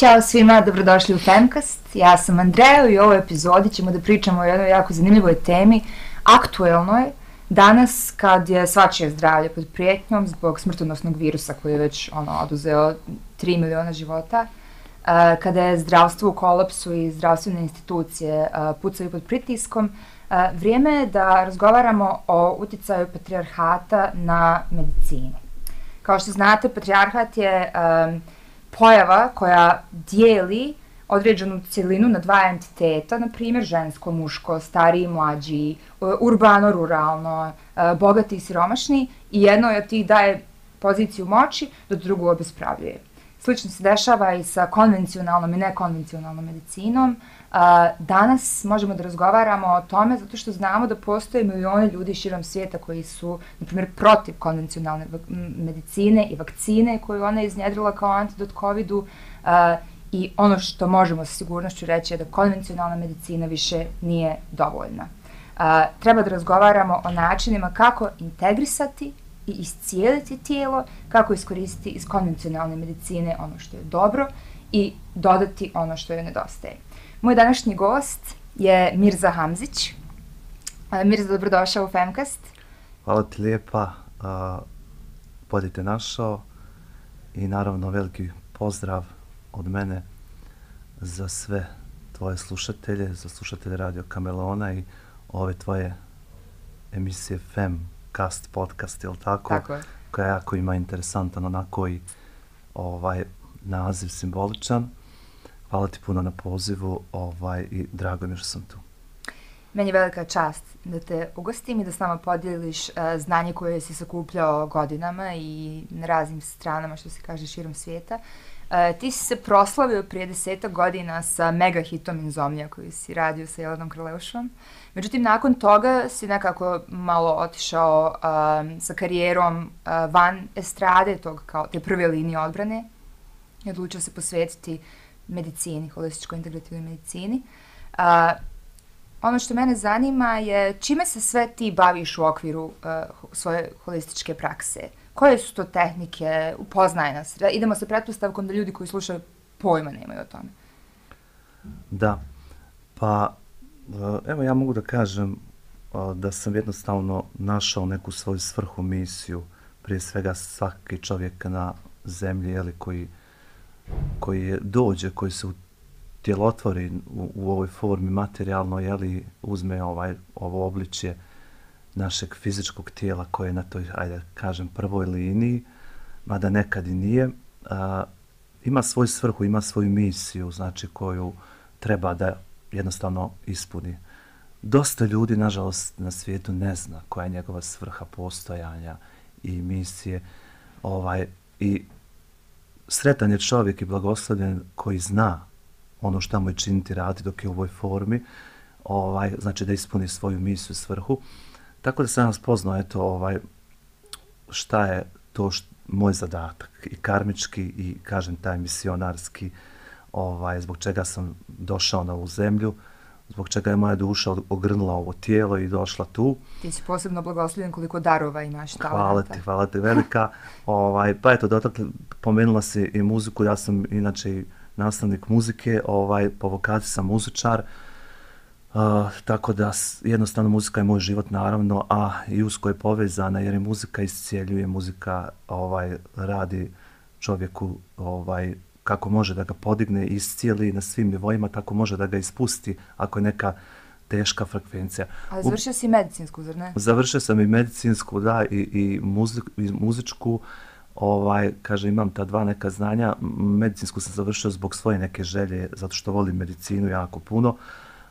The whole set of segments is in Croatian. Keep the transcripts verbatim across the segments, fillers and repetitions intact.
Ćao svima, dobrodošli u Femcast. Ja sam Andreja i u ovoj epizodi ćemo da pričamo o jednoj jako zanimljivoj temi, aktuelnoj, danas kad je svačije zdravlje pod prijetnjom zbog smrtonosnog virusa koji je već ono, oduzeo tri miliona života, uh, kada je zdravstvo u kolapsu i zdravstvene institucije uh, pucaju pod pritiskom, uh, vrijeme je da razgovaramo o uticaju patrijarhata na medicini. Kao što znate, patrijarhat je um, pojava koja dijeli određenu cjelinu na dva entiteta, na primjer žensko, muško, stariji, mlađi, urbano, ruralno, bogati i siromašni, i jedno od tih daje poziciju moći, dok drugo obespravljuje. Slično se dešava i sa konvencionalnom i nekonvencionalnom medicinom. Danas možemo da razgovaramo o tome zato što znamo da postoje milione ljudi širom svijeta koji su, na primjer, protiv konvencionalne medicine i vakcine koju ona iznjedrila kao antidot covidu, i ono što možemo sa sigurnošću reći je da konvencionalna medicina više nije dovoljna. Treba da razgovaramo o načinima kako integrisati i iscijeliti tijelo, kako iskoristiti iz konvencionalne medicine ono što je dobro i dodati ono što joj nedostaje. Moj današnji gost je Mirza Hamzić. Mirza, dobrodošao u Femcast. Hvala ti lijepa, bolje te našao i naravno veliki pozdrav od mene za sve tvoje slušatelje, za slušatelje Radio Kameleona i ove tvoje emisije Femcast podcast, jel tako? Tako je. Koja jako ima interesantan onako i ovaj naziv simboličan. Hvala ti puno na pozivu ovaj, i drago mi je što sam tu. Meni je velika čast da te ugostim i da s nama podijeliš uh, znanje koje si sakupljao godinama i na raznim stranama, što se kaže, širom svijeta. Uh, ti si se proslavio prije desetak godina sa mega hitom Insomnia koju si radio sa Jelenom Krleušom. Međutim, nakon toga si nekako malo otišao um, sa karijerom uh, van estrade, tog, kao te prve linije odbrane, i odlučio se posvetiti medicini, holističkoj integrativnoj medicini. Uh, ono što mene zanima je čime se sve ti baviš u okviru uh, svoje holističke prakse? Koje su to tehnike? Upoznaj nas. Idemo sa pretpostavkom da ljudi koji slušaju pojma nemaju o tome. Da, pa evo ja mogu da kažem da sam jednostavno našao neku svoju svrhu, misiju, prije svega svaki čovjek na zemlji, jeli, koji, koji je, dođe, koji se utjelotvori u, u ovoj formi materijalno, jeli, uzme ovaj, ovo obličje našeg fizičkog tijela koje je na toj, ajde kažem, prvoj liniji, mada nekad i nije, a, ima svoju svrhu, ima svoju misiju, znači koju treba da jednostavno ispuni. Dosta ljudi, nažalost, na svijetu ne zna koja je njegova svrha postojanja i misije. Ovaj, i sretan je čovjek i blagoslovljen koji zna ono što mu je činiti, raditi dok je u ovoj formi, ovaj, znači da ispuni svoju misiju, svrhu. Tako da sam vas poznao, eto, ovaj, šta je to št, moj zadatak i karmički i, kažem, taj misionarski, ovaj, zbog čega sam došao na ovu zemlju, zbog čega je moja duša ogrnula ovo tijelo i došla tu. Ti si posebno blagoslovljen koliko darova imaš talenta. Hvala ti, hvala ti, velika. ovaj, pa eto, dotakle, pomenula si i muziku, ja sam inače i nastavnik muzike, ovaj, po vokaciji sam muzičar, uh, tako da jednostavno muzika je moj život, naravno, a i usko je povezana jer je muzika iscijeljuje, muzika ovaj, radi čovjeku ovaj, kako može da ga podigne i iscijeli na svim nivoima, tako može da ga ispusti ako je neka teška frekvencija. Ali završio si medicinsku, zar ne? Završio sam i medicinsku, da, i, i, muzik, i muzičku. Ovaj, kaže, imam ta dva neka znanja. Medicinsku sam završio zbog svoje neke želje, zato što volim medicinu jako puno.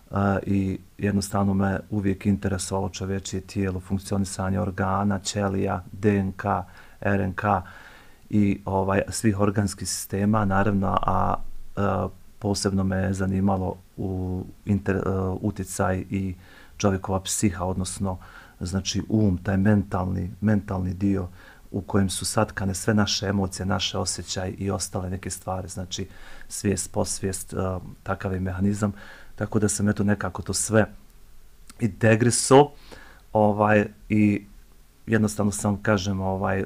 Uh, I jednostavno me uvijek interesovalo čovječje tijelo, funkcionisanje organa, ćelija, D N K, R N K i ovaj, svih organskih sistema, naravno, a uh, posebno me zanimalo u inter, uh, utjecaj i čovjekova psiha, odnosno znači um, taj mentalni, mentalni dio u kojem su satkane sve naše emocije, naše osjećaje i ostale neke stvari, znači svijest, posvijest, uh, takav je mehanizam, tako da sam eto nekako to sve integrisao, ovaj, i jednostavno sam, kažem, ovaj,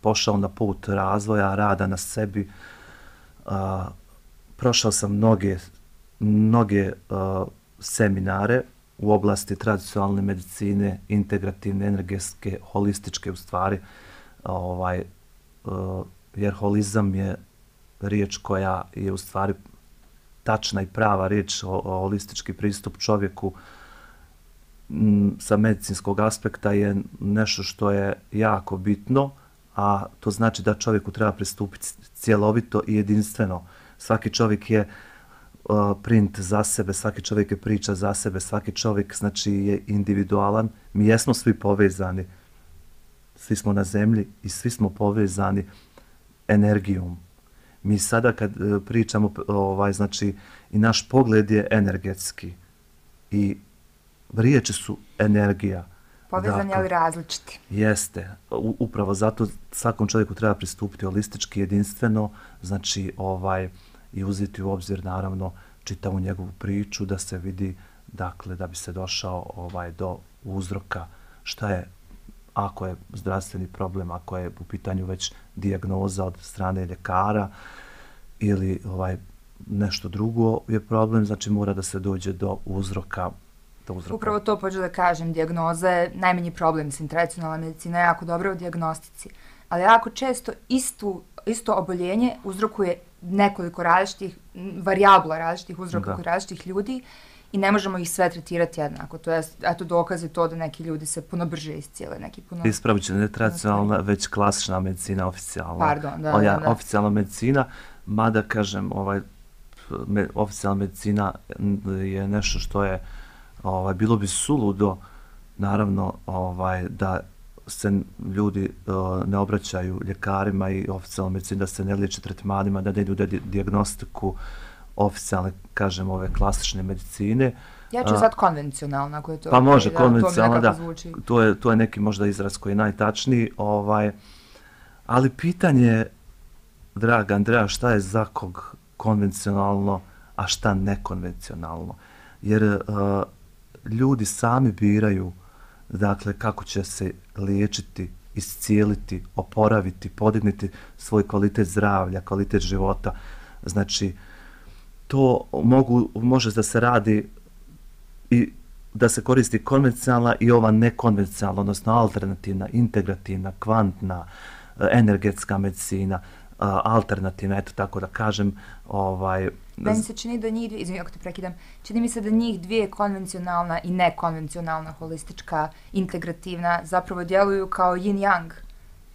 pošao na put razvoja, rada na sebi, uh, prošao sam mnoge, mnoge uh, seminare u oblasti tradicionalne medicine, integrativne, energetske, holističke u stvari, ovaj, uh, jer holizam je riječ koja je u stvari tačna i prava riječ, o, o holistički pristup čovjeku m, sa medicinskog aspekta je nešto što je jako bitno, a to znači da čovjeku treba pristupiti cjelovito i jedinstveno. Svaki čovjek je uh, print za sebe, svaki čovjek je priča za sebe, svaki čovjek znači je individualan. Mi jesmo svi povezani, svi smo na zemlji i svi smo povezani energijom. Mi sada kad uh, pričamo, ovaj, znači i naš pogled je energetski i riječi su energija. Povezani, dakle, ali različiti. Jeste. U, upravo zato svakom čovjeku treba pristupiti holistički, jedinstveno, znači ovaj i uzeti u obzir naravno čitavu njegovu priču da se vidi, dakle, da bi se došao ovaj do uzroka šta je, ako je zdravstveni problem, ako je u pitanju već dijagnoza od strane ljekara ili ovaj nešto drugo je problem, znači mora da se dođe do uzroka. Upravo to pođu da kažem, dijagnoza je najmanji problem, mislim, tradicionalna medicina je jako dobra u dijagnostici, ali jako često istu, isto oboljenje uzrokuje nekoliko različitih, varijabla različitih uzroka kod različitih ljudi i ne možemo ih sve tretirati jednako. To je, eto, dokaz je to da neki ljudi se puno brže iscijele, neki puno... Ispravit ću, ne tradicionalna, već klasična medicina, oficijalna. Pardon, da, Oja, da, da. Oficijalna medicina, mada, kažem, ovaj, me, oficijalna medicina je nešto što je Ovaj, bilo bi suludo, naravno, ovaj, da se ljudi uh, ne obraćaju ljekarima i oficijalnoj medicini, da se ne liječe tretmanima, da ne idu di dijagnostiku oficijalne, kažem, ove klasične medicine. Ja ću sad konvencionalno, ako je to... Pa može, konvencionalno, da. Zvuči. To je, to je neki možda izraz koji je najtačniji. Ovaj, ali pitanje je, draga Andreja, šta je za kog konvencionalno, a šta nekonvencionalno? Jer uh, ljudi sami biraju, dakle, kako će se liječiti, iscijeliti, oporaviti, podignuti svoj kvalitet zdravlja, kvalitet života. Znači, to mogu, može da se radi i da se koristi konvencionalna i ova nekonvencionalna, odnosno alternativna, integrativna, kvantna, energetska medicina, alternativna, eto tako da kažem, ovaj... Meni se čini da njih dvije, izvim ako te prekidam, čini mi se da njih dvije konvencionalna i nekonvencionalna, holistička, integrativna, zapravo djeluju kao yin-yang.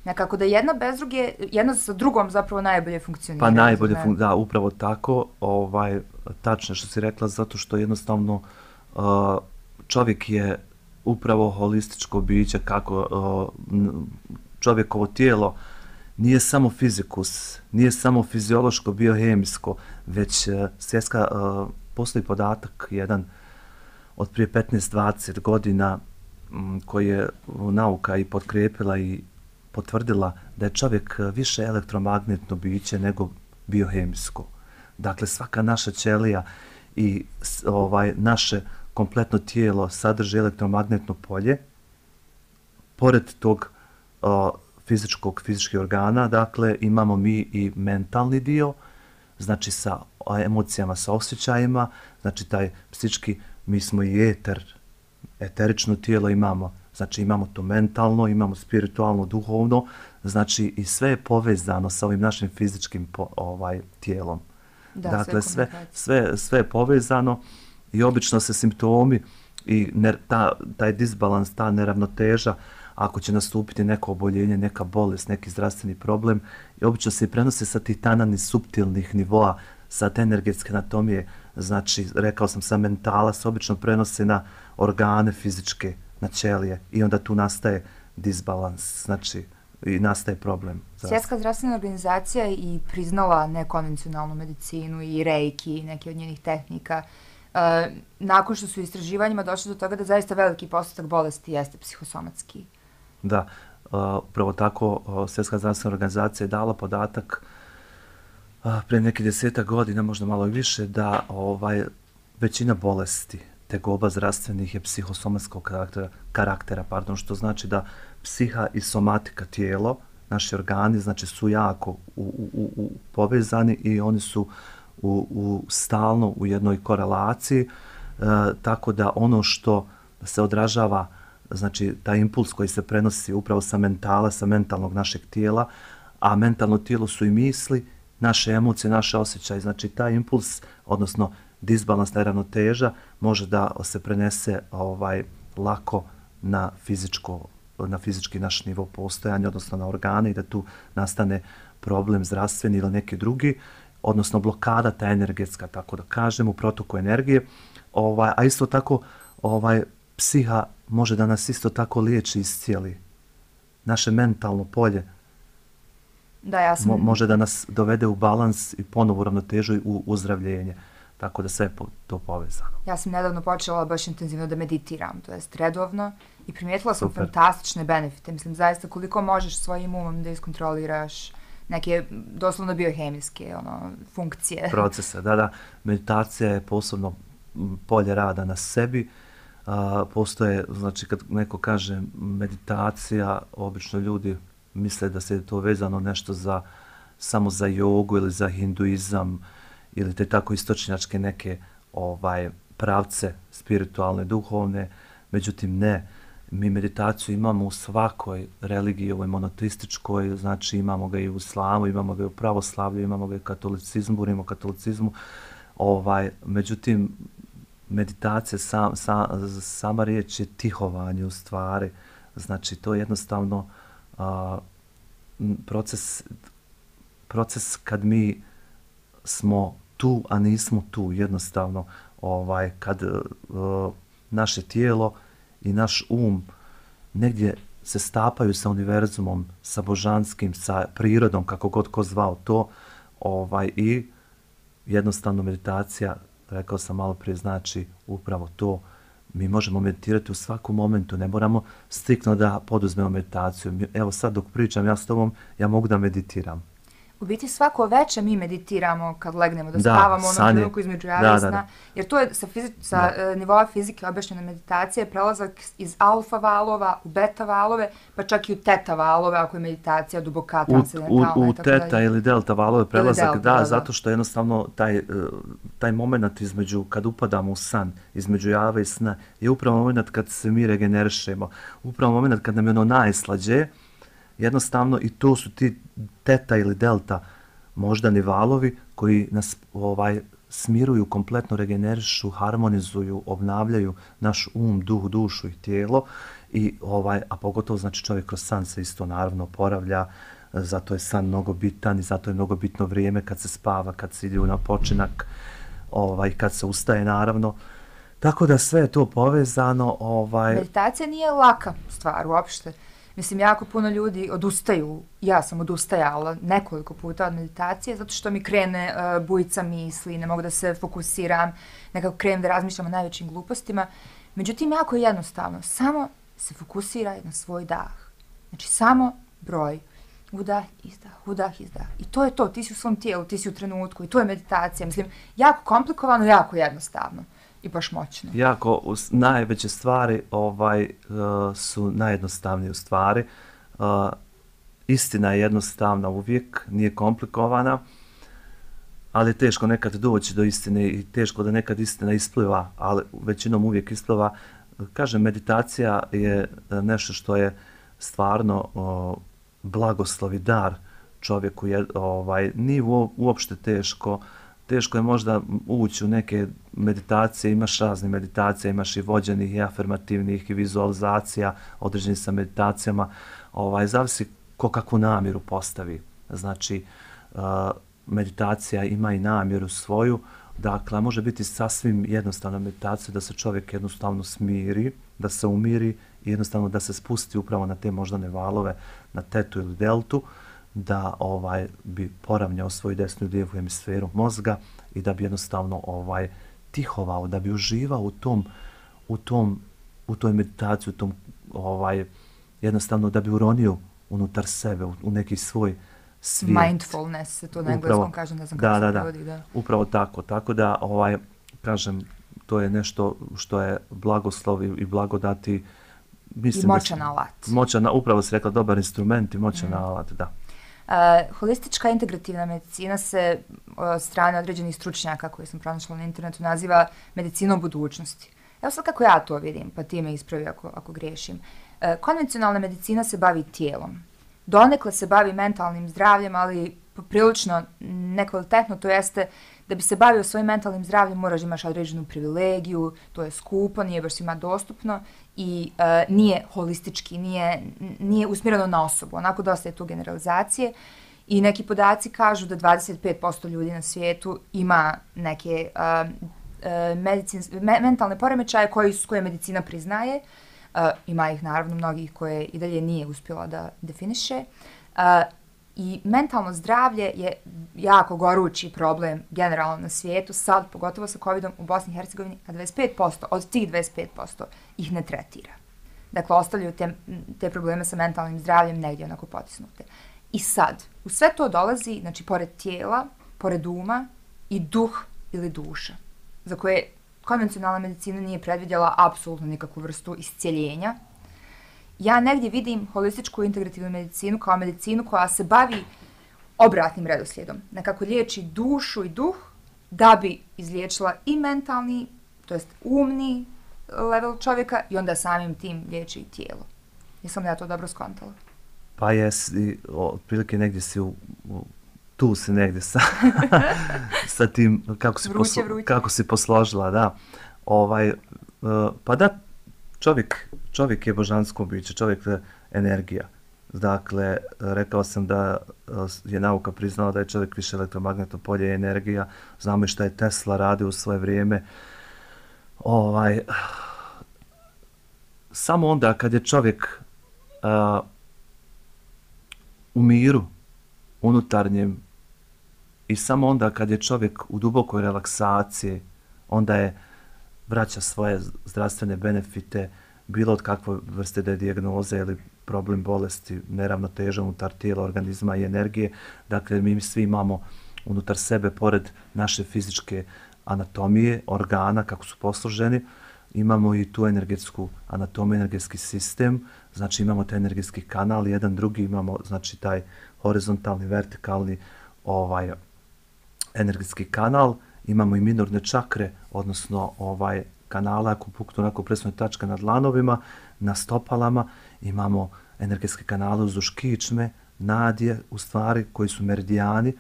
Nekako da jedna bez druge, jedna sa drugom zapravo najbolje funkcionira. Pa najbolje funkcionira, da, upravo tako, ovaj, tačno što si rekla, zato što jednostavno uh, čovjek je upravo holističko biće, kako uh, čovjekovo tijelo nije samo fizikus, nije samo fiziološko, biohemijsko, već uh, svjetska, uh, postoji podatak jedan od prije petnaest dvadeset godina um, koji je nauka i potkrijepila i potvrdila da je čovjek više elektromagnetno biće nego biohemijsko. Dakle, svaka naša ćelija i ovaj naše kompletno tijelo sadrži elektromagnetno polje. Pored tog o, fizičkog, fizičkih organa, dakle, imamo mi i mentalni dio, znači sa emocijama, sa osjećajima, znači taj psički, mi smo i eter, eterično tijelo imamo, znači imamo to mentalno, imamo spiritualno, duhovno, znači i sve je povezano sa ovim našim fizičkim po, ovaj tijelom. Da, dakle, sve, sve, sve, sve je povezano i obično se simptomi i ne, ta, taj disbalans, ta neravnoteža, ako će nastupiti neko oboljenje, neka bolest, neki zdravstveni problem, i obično se prenose sa tih tanani suptilnih nivoa, sa te energetske anatomije, znači, rekao sam, sa mentala se obično prenose na organe fizičke, na ćelije, i onda tu nastaje disbalans, znači, i nastaje problem. Svjetska zdravstvena organizacija i priznala nekonvencionalnu medicinu i reiki i neke od njenih tehnika. E, nakon što su istraživanjima došli do toga da zaista veliki postotak bolesti jeste psihosomatski. Da, upravo uh, tako uh, Svjetska zdravstvena organizacija je dala podatak uh, pre nekih desetak godina, možda malo i više, da ovaj većina bolesti tegoba zdravstvenih je psihosomatskog karaktera, karaktera pardon, što znači da psiha i somatika, tijelo, naši organi, znači su jako u, u, u, povezani i oni su u, u stalno u jednoj korelaciji, e, tako da ono što se odražava, znači taj impuls koji se prenosi upravo sa mentala, sa mentalnog našeg tijela, a mentalno tijelo su i misli, naše emocije, naše osjećaje, znači taj impuls, odnosno disbalans, neravnoteža, može da se prenese ovaj lako na fizičko, na fizički naš nivo postojanja, odnosno na organe i da tu nastane problem zdravstveni ili neki drugi, odnosno blokada ta energetska, tako da kažem, u protoku energije. Ovaj, a isto tako, ovaj, psiha može da nas isto tako liječi i iscijeli. Naše mentalno polje da, ja sam... mo, može da nas dovede u balans i ponovo u ravnotežu i u uzdravljenje. Tako da sve je to povezano. Ja sam nedavno počela baš intenzivno da meditiram, to jest redovno, i primijetila sam Super. fantastične benefite. Mislim, zaista koliko možeš svojim umom da iskontroliraš neke doslovno biohemijske ono, funkcije. Procese, da, da. Meditacija je posebno polje rada na sebi. A, postoje, znači kad neko kaže meditacija, obično ljudi misle da se to vezano nešto za, samo za jogu ili za hinduizam ili te tako istočnjačke neke ovaj pravce spiritualne, duhovne. Međutim, ne. Mi meditaciju imamo u svakoj religiji, ovoj monoteističkoj, znači imamo ga i u islamu, imamo ga i u pravoslavlju, imamo ga i u katolicizmu, govorimo o katolicizmu. Ovaj, međutim, meditacija, sam, sam, sama riječ je tihovanje u stvari. Znači, to je jednostavno a, proces, proces kad mi smo tu, a nismo tu, jednostavno, ovaj, kad a, naše tijelo i naš um negdje se stapaju sa univerzumom, sa božanskim, sa prirodom, kako god ko zvao to, ovaj, i jednostavno meditacija, rekao sam malo prije, znači upravo to. Mi možemo meditirati u svakom momentu, ne moramo striktno da poduzmemo meditaciju. Evo sad dok pričam ja s tobom, ja mogu da meditiram. U biti svako veče mi meditiramo kad legnemo, da, da spavamo ono sanje. trenutku između java i sna, da, da. jer to je sa, fizi- sa uh, nivoa fizike objašnjena meditacija, prelazak iz alfa valova u beta valove, pa čak i u teta valove, ako je meditacija duboka, transcendentalna. U, u, u tako teta dalje. ili delta valove prelazak, delta, da, da, da, zato što jednostavno taj, taj moment između, kad upadamo u san, između java i sna, je upravo moment kad se mi regenerišemo, upravo moment kad nam je ono najslađe, jednostavno i to su ti teta ili delta moždani valovi koji nas ovaj smiruju, kompletno regenerišu, harmonizuju, obnavljaju naš um, duh, dušu i tijelo i ovaj, a pogotovo znači čovjek kroz san se isto naravno oporavlja, zato je san mnogo bitan i zato je mnogo bitno vrijeme kad se spava, kad se ide na počinak, ovaj, kad se ustaje naravno. Tako da sve je to povezano. Ovaj... Meditacija nije laka stvar uopšte. Mislim, jako puno ljudi odustaju, ja sam odustajala nekoliko puta od meditacije, zato što mi krene uh, bujica misli, ne mogu da se fokusiram, nekako krenem da razmišljam o najvećim glupostima. Međutim, jako je jednostavno, samo se fokusiraj na svoj dah. Znači, samo broj. Udah, izdah, udah, izdah. I to je to, ti si u svom tijelu, ti si u trenutku i to je meditacija. Mislim, jako komplikovano, jako jednostavno. I baš moćno. Jako, najveće stvari ovaj, uh, su najjednostavnije u stvari. Uh, istina je jednostavna uvijek, nije komplikovana, ali je teško nekad doći do istine i teško da nekad istina ispliva, ali većinom uvijek ispliva. Kažem, meditacija je nešto što je stvarno uh, blagoslov i dar čovjeku. Je, ovaj, nije uopšte teško. Teško je možda ući u neke meditacije, imaš razne meditacije, imaš i vođenih i afirmativnih i vizualizacija, određenih sa meditacijama, ovaj, zavisi ko kakvu namjeru postavi. Znači, uh, meditacija ima i namjeru svoju, dakle, može biti sasvim jednostavna meditacija da se čovjek jednostavno smiri, da se umiri i jednostavno da se spusti upravo na te moždane valove, na tetu ili deltu, da ovaj bi poravnjao svoju desnu i lijevu hemisferu mozga i da bi jednostavno ovaj tihovao, da bi uživao u tom u tom u toj meditaciji, u tom ovaj jednostavno da bi uronio unutar sebe u, u neki svoj svijet. Mindfulness se to na engleskom kaže, ne znam kako da, se da, prevodi, da. Upravo tako, tako da ovaj kažem to je nešto što je blagoslov i blagodati. Mislim I moćan alat. Moćan, upravo si rekla, dobar instrument i moćan mm. alat, da. Uh, holistička integrativna medicina se od strane određenih stručnjaka koje sam pronašla na internetu naziva medicinom budućnosti. Evo sad kako ja to vidim, pa ti me ispravi ako, ako griješim. Uh, konvencionalna medicina se bavi tijelom. Donekle se bavi mentalnim zdravljem, ali prilično nekvalitetno, to jeste da bi se bavio svojim mentalnim zdravljem moraš da imaš određenu privilegiju, to je skupo, nije baš svima dostupno i uh, nije holistički, nije, nije usmjereno na osobu, onako dosta je tu generalizacije i neki podaci kažu da dvadeset pet posto ljudi na svijetu ima neke uh, uh, medicins, me, mentalne poremećaje koji, koje medicina priznaje, uh, ima ih naravno mnogih koje i dalje nije uspjela da definiše. Uh, I mentalno zdravlje je jako gorući problem generalno na svijetu, sad pogotovo sa covidom u Bosni i Hercegovini, a dvadeset pet posto od tih dvadeset pet posto ih ne tretira. Dakle, ostavljaju te, te probleme sa mentalnim zdravljem negdje onako potisnute. I sad, u sve to dolazi, znači, pored tijela, pored uma i duh ili duša, za koje konvencionalna medicina nije predvidjela apsolutno nikakvu vrstu iscijeljenja. Ja negdje vidim holističku integrativnu medicinu kao medicinu koja se bavi obratnim redoslijedom. Nekako liječi dušu i duh da bi izliječila i mentalni, to jest umni level čovjeka i onda samim tim liječi i tijelo. Jesam li ja to dobro skontala? Pa jesi, otprilike negdje si u, u, tu si negdje sa, sa tim kako si, vruće, poslo, vruće. kako si posložila, da. Ovaj, uh, pa da, čovjek, čovjek je božansko biće, čovjek je energija. Dakle, rekao sam da je nauka priznala da je čovjek više elektromagnetno polje i energija. Znamo i šta je Tesla radio u svoje vrijeme. Ovaj, samo onda kad je čovjek uh, u miru unutarnjem i samo onda kad je čovjek u dubokoj relaksaciji, onda je vraća svoje zdravstvene benefite, bilo od kakve vrste da je dijagnoze ili problem bolesti, neravnoteža unutar tijela, organizma i energije. Dakle, mi svi imamo unutar sebe, pored naše fizičke anatomije, organa, kako su posloženi, imamo i tu energetsku anatomiju, energetski sistem, znači imamo taj energetski kanal, jedan drugi imamo, znači taj horizontalni, vertikalni ovaj energetski kanal, imamo i minorne čakre, odnosno ovaj kanala, ako puknu onako presno tačka na dlanovima, na stopalama, imamo energetske kanale uzduž kičme, nadje, u stvari, koji su meridijani,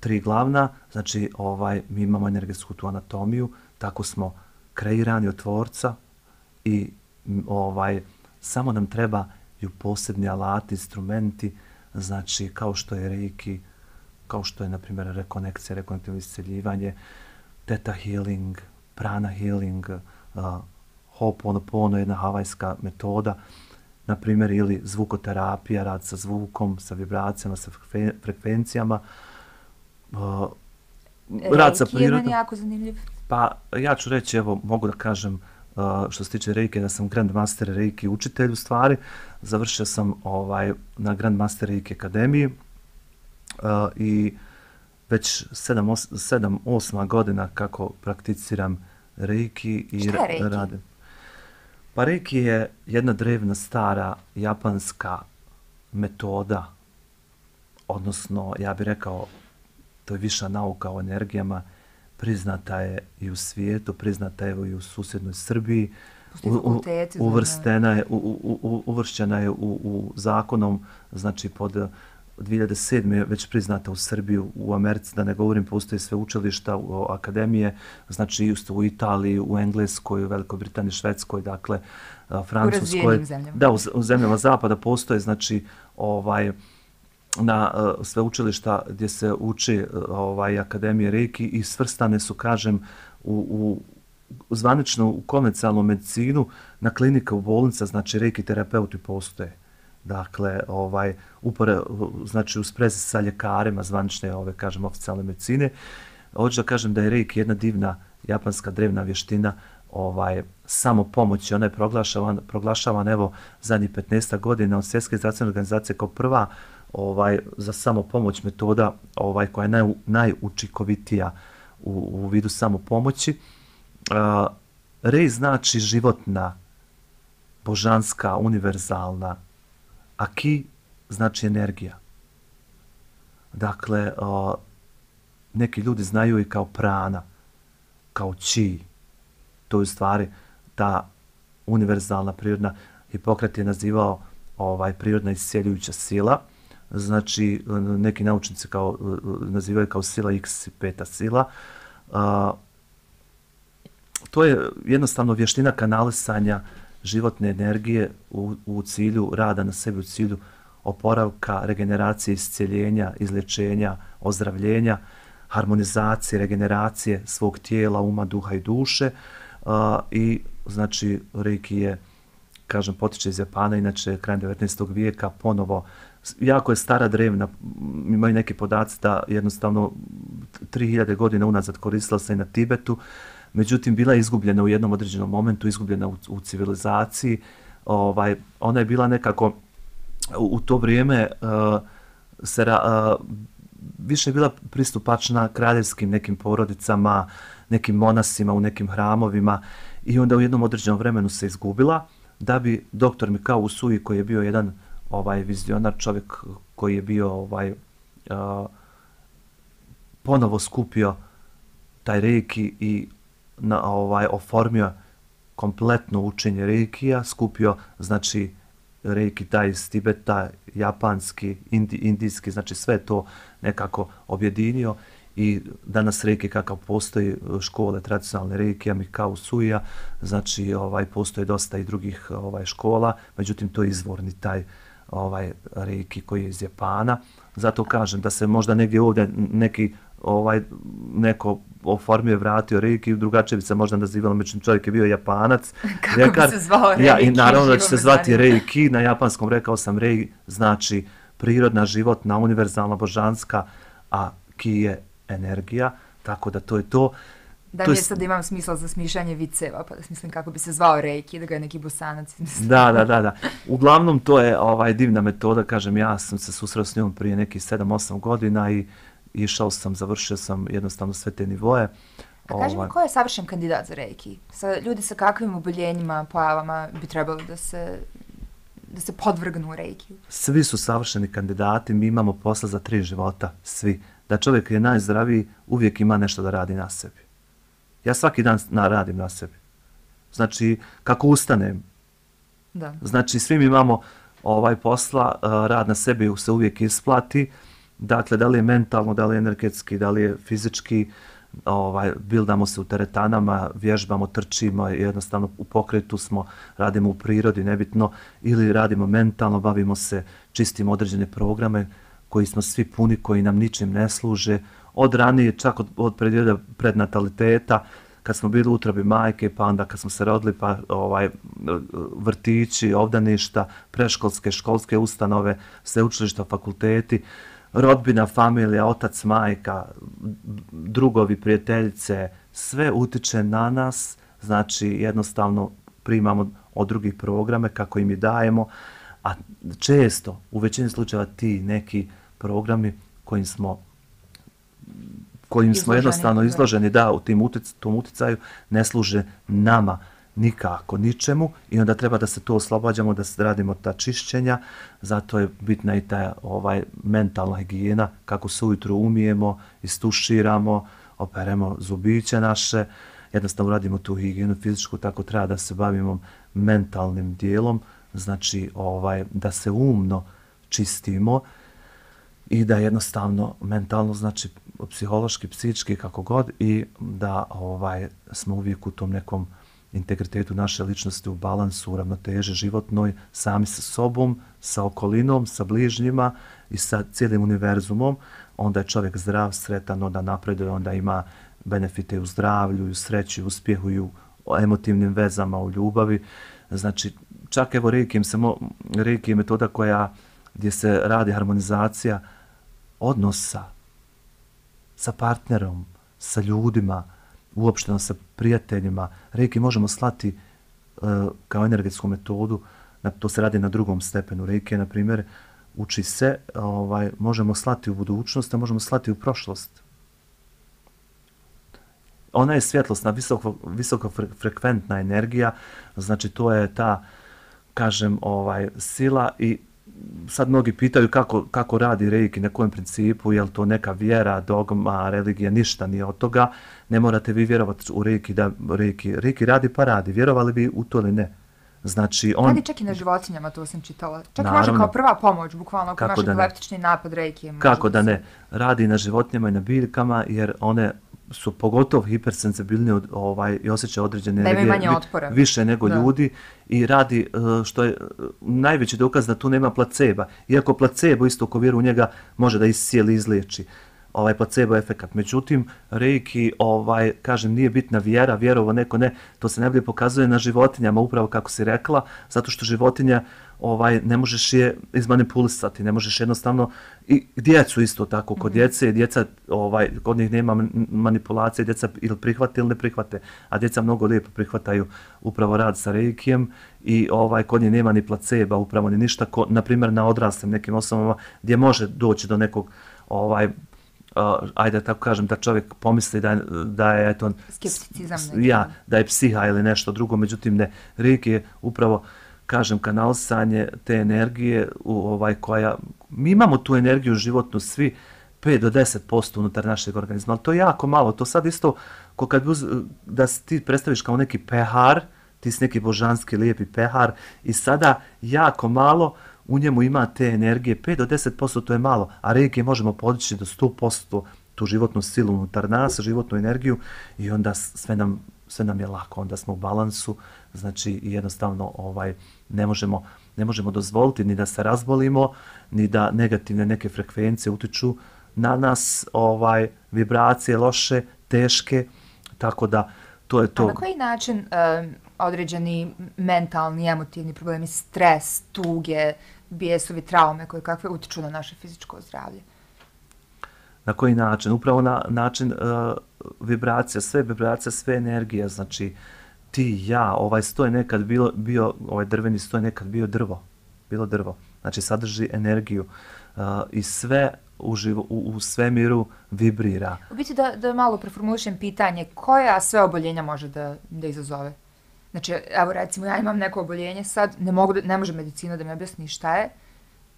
tri glavna, znači ovaj, mi imamo energetsku tu anatomiju, tako smo kreirani od tvorca i ovaj, samo nam trebaju posebni alati, instrumenti, znači kao što je reiki, kao što je, na primjer, rekonekcija, rekonektivno isceljivanje, theta healing, prana healing, uh, Ho'oponopono, jedna havajska metoda, na primjer, ili zvukoterapija, rad sa zvukom, sa vibracijama, sa frekvencijama, uh, rad sa prirodom. Reiki je meni jako zanimljiv. Pa ja ću reći, evo, mogu da kažem, uh, što se tiče Reiki, da sam Grandmaster Reiki učitelj u stvari. Završio sam ovaj, na Grandmaster Reiki akademiji uh, i već sedam osam godina kako prakticiram Reiki i Šta je Reiki? radim. Pa Reiki je jedna drevna, stara, japanska metoda, odnosno, ja bih rekao, to je viša nauka o energijama, priznata je i u svijetu, priznata je i u susjednoj Srbiji, u, u, uvrstena je, u, u, u, uvršćena je u, u zakonom, znači pod dvije hiljade sedme je već priznata u Srbiji, u Americi, da ne govorim, postoji sve učilišta, u akademije, znači isto u Italiji, u Engleskoj, u Velikoj Britaniji, Švedskoj, dakle, Francuskoj. U zemljama. Da, u, u zemljama zapada postoje, znači, ovaj, na uh, sve učilišta gdje se uči uh, ovaj, akademije Reiki i svrstane su, kažem, u, u zvanično u konvencionalnu medicinu, na klinike, u bolnica, znači Reiki terapeuti postoje. Dakle, ovaj, upore, znači u sprezi sa ljekarima zvanične, ove, kažem, oficijalne medicine. Hoću da kažem da je Reiki jedna divna japanska drevna vještina, ovaj, samo pomoći. Ona je proglašavan, proglašavan, evo, zadnjih petnaest godina od Svjetske zdravstvene organizacije kao prva ovaj, za samopomoć metoda ovaj, koja je naj, najučikovitija u, u vidu samopomoći. Uh, Rei znači životna, božanska, univerzalna, a ki znači energija. Dakle, o, neki ljudi znaju i kao prana, kao chi. To je u stvari ta univerzalna prirodna, Hipokrat je nazivao ovaj, prirodna isceljujuća sila, znači neki naučnici kao, nazivaju kao sila X i peta sila. A, to je jednostavno vještina kanalisanja životne energije u, u cilju rada na sebi, u cilju oporavka, regeneracije, isceljenja, izlječenja, ozdravljenja, harmonizacije, regeneracije svog tijela, uma, duha i duše. Uh, I znači Reiki je, kažem, potiče iz Japana, inače krajem devetnaestog vijeka ponovo, jako je stara, drevna, imaju neki podaci da jednostavno tri hiljade godina unazad koristila se i na Tibetu, međutim bila je izgubljena u jednom određenom momentu, izgubljena u, u civilizaciji. Ovaj, ona je bila nekako u, u to vrijeme uh, se ra, uh, više je bila pristupačna kraljevskim nekim porodicama, nekim monasima u nekim hramovima i onda u jednom određenom vremenu se izgubila, da bi doktor Mikao Usui, koji je bio jedan ovaj vizionar, čovjek koji je bio ovaj uh, ponovo skupio taj reiki i na, ovaj oformio kompletno učenje reikija, skupio znači reiki taj iz Tibeta, japanski, indi, indijski, znači sve to nekako objedinio i danas reiki kakav postoji, škole tradicionalne reikija, Mikao Usuija, znači ovaj postoje dosta i drugih ovaj škola, međutim to je izvorni taj ovaj reiki koji je iz Japana. Zato kažem da se možda negdje ovdje neki ovaj neko oformio, vratio reiki, drugačije bi se možda nazivalo, međutim čovjek je bio Japanac. Kako Rekar, bi se zvao reiki? Ja, i naravno da će se zvati reiki, na japanskom rekao sam rei, znači prirodna, životna, univerzalna, božanska, a ki je energija, tako da to je to. Da to mi je je sad imam smisla za smišljanje viceva, pa da smislim kako bi se zvao reiki, da ga je neki Bosanac izmislio. Da, da, da, da. Uglavnom to je ovaj divna metoda, kažem, ja sam se susreo s njom prije nekih sedam osam godina i išao sam, završio sam jednostavno sve te nivoje. A kaži mi, ko je savršen kandidat za reiki? Sa, ljudi sa kakvim oboljenjima, pojavama bi trebali da se, da se podvrgnu reikiju? Svi su savršeni kandidati, mi imamo posla za tri života, svi. Da čovjek je najzdraviji, uvijek ima nešto da radi na sebi. Ja svaki dan na, radim na sebi. Znači, kako ustanem, da. Znači, svi mi imamo ovaj posla, rad na sebi se uvijek isplati. Dakle, da li je mentalno, da li je energetski, da li je fizički, ovaj, bildamo se u teretanama, vježbamo, trčimo, jednostavno u pokretu smo, radimo u prirodi, nebitno, ili radimo mentalno, bavimo se, čistimo određene programe koji smo svi puni, koji nam ničim ne služe, od ranije, čak od, od perioda prednataliteta, kad smo bili u utrobi majke, pa onda kad smo se rodili, pa ovaj, vrtići, obdaništa, preškolske, školske ustanove, sveučilišta, fakulteti, rodbina, familija, otac, majka, drugovi, prijateljice, sve utiče na nas, znači jednostavno primamo od drugih programe kako im i dajemo, a često, u većini slučajeva ti neki programi kojim smo kojim izloženi, smo jednostavno izloženi, da, u tim utic, tom uticaju, ne služe nama nikako, ničemu i onda treba da se to oslobađamo, da se radimo ta čišćenja, zato je bitna i ta ovaj, mentalna higijena, kako se ujutru umijemo, istuširamo, operemo zubiće naše, jednostavno radimo tu higijenu fizičku, tako treba da se bavimo mentalnim dijelom, znači ovaj, da se umno čistimo i da jednostavno mentalno, znači psihološki, psihički, kako god, i da ovaj smo uvijek u tom nekom integritetu naše ličnosti, u balansu, u ravnoteži životnoj, sami sa sobom, sa okolinom, sa bližnjima i sa cijelim univerzumom, onda je čovjek zdrav, sretan, onda napreduje, onda ima benefite u zdravlju, u sreći, u uspjehu, i u emotivnim vezama, u ljubavi. Znači, čak evo reiki, se mo, reiki je metoda koja, gdje se radi harmonizacija odnosa sa partnerom, sa ljudima, uopšteno sa prijateljima. Reiki možemo slati uh, kao energetsku metodu, na, to se radi na drugom stepenu. Reiki, na primjer, uči se, ovaj, možemo slati u budućnost, a možemo slati u prošlost. Ona je svjetlosna, visoko, visoko frekventna energija, znači to je ta, kažem, ovaj, sila i sad mnogi pitaju kako, kako radi reiki, na kojem principu, je li to neka vjera, dogma, religija, ništa nije od toga. Ne morate vi vjerovati u reiki da reiki, reiki radi pa radi, vjerovali bi u to ili ne. Znači on... Radi čak i na životinjama, to sam čitala. Čak Naravno, može kao prva pomoć, bukvalno ako imaš da epileptični napad reiki. Kako da da se... ne, radi na životinjama i na biljkama jer one su pogotovo hipersenzibilni od, ovaj, i osjećaju određene energije vi, više nego da. ljudi i radi što je najveći dokaz da tu nema placeba. Iako placebo isto ko vjeru u njega može da iscijeli, izliječi. Ovaj placebo efekat. Međutim, reiki, ovaj, kažem, nije bitna vjera, vjerovo neko ne, to se najbolje pokazuje na životinjama, upravo kako si rekla, zato što životinja ovaj, ne možeš je izmanipulisati, ne možeš jednostavno, i djecu isto tako, kod djece, djeca, ovaj, kod njih nema manipulacije, djeca ili prihvate ili ne prihvate, a djeca mnogo lijepo prihvataju upravo rad sa reikijem i ovaj, kod njih nema ni placeba, upravo ni ništa, ko, na primjer na odraslim nekim osobama gdje može doći do nekog ovaj, Uh, ajde tako kažem da čovjek pomisli da, da je eto, skepticizam ja, da je psiha ili nešto drugo, međutim ne, reiki je upravo kažem kanalisanje te energije u ovaj koja mi imamo tu energiju životnu svi pet do deset posto unutar našeg organizma, ali to je jako malo, to sad isto ko kad uz, da ti predstaviš kao neki pehar, ti si neki božanski lijepi pehar i sada jako malo u njemu ima te energije, pet do deset posto to je malo, a reiki možemo podići do sto posto tu životnu silu unutar nas, životnu energiju i onda sve nam, sve nam je lako, onda smo u balansu, znači jednostavno ovaj, ne, možemo, ne možemo dozvoliti ni da se razbolimo, ni da negativne neke frekvencije utiču na nas, ovaj, vibracije loše, teške, tako da to je to. A na koji način um, određeni mentalni, emotivni problemi, stres, tuge, bijesovi, traume koje kakve utiču na naše fizičko zdravlje? Na koji način? Upravo na način uh, vibracija, sve vibracija, sve energija, znači ti, ja, ovaj stoj nekad bilo, bio, ovaj drveni stoj nekad bio drvo, bilo drvo, znači sadrži energiju uh, i sve u, živo, u, u svemiru vibrira. U biti da, da malo preformulišem pitanje, koja sve oboljenja može da, da izazove? Znači, evo recimo, ja imam neko oboljenje sad, ne, mogu da, ne može medicina da mi objasni šta je.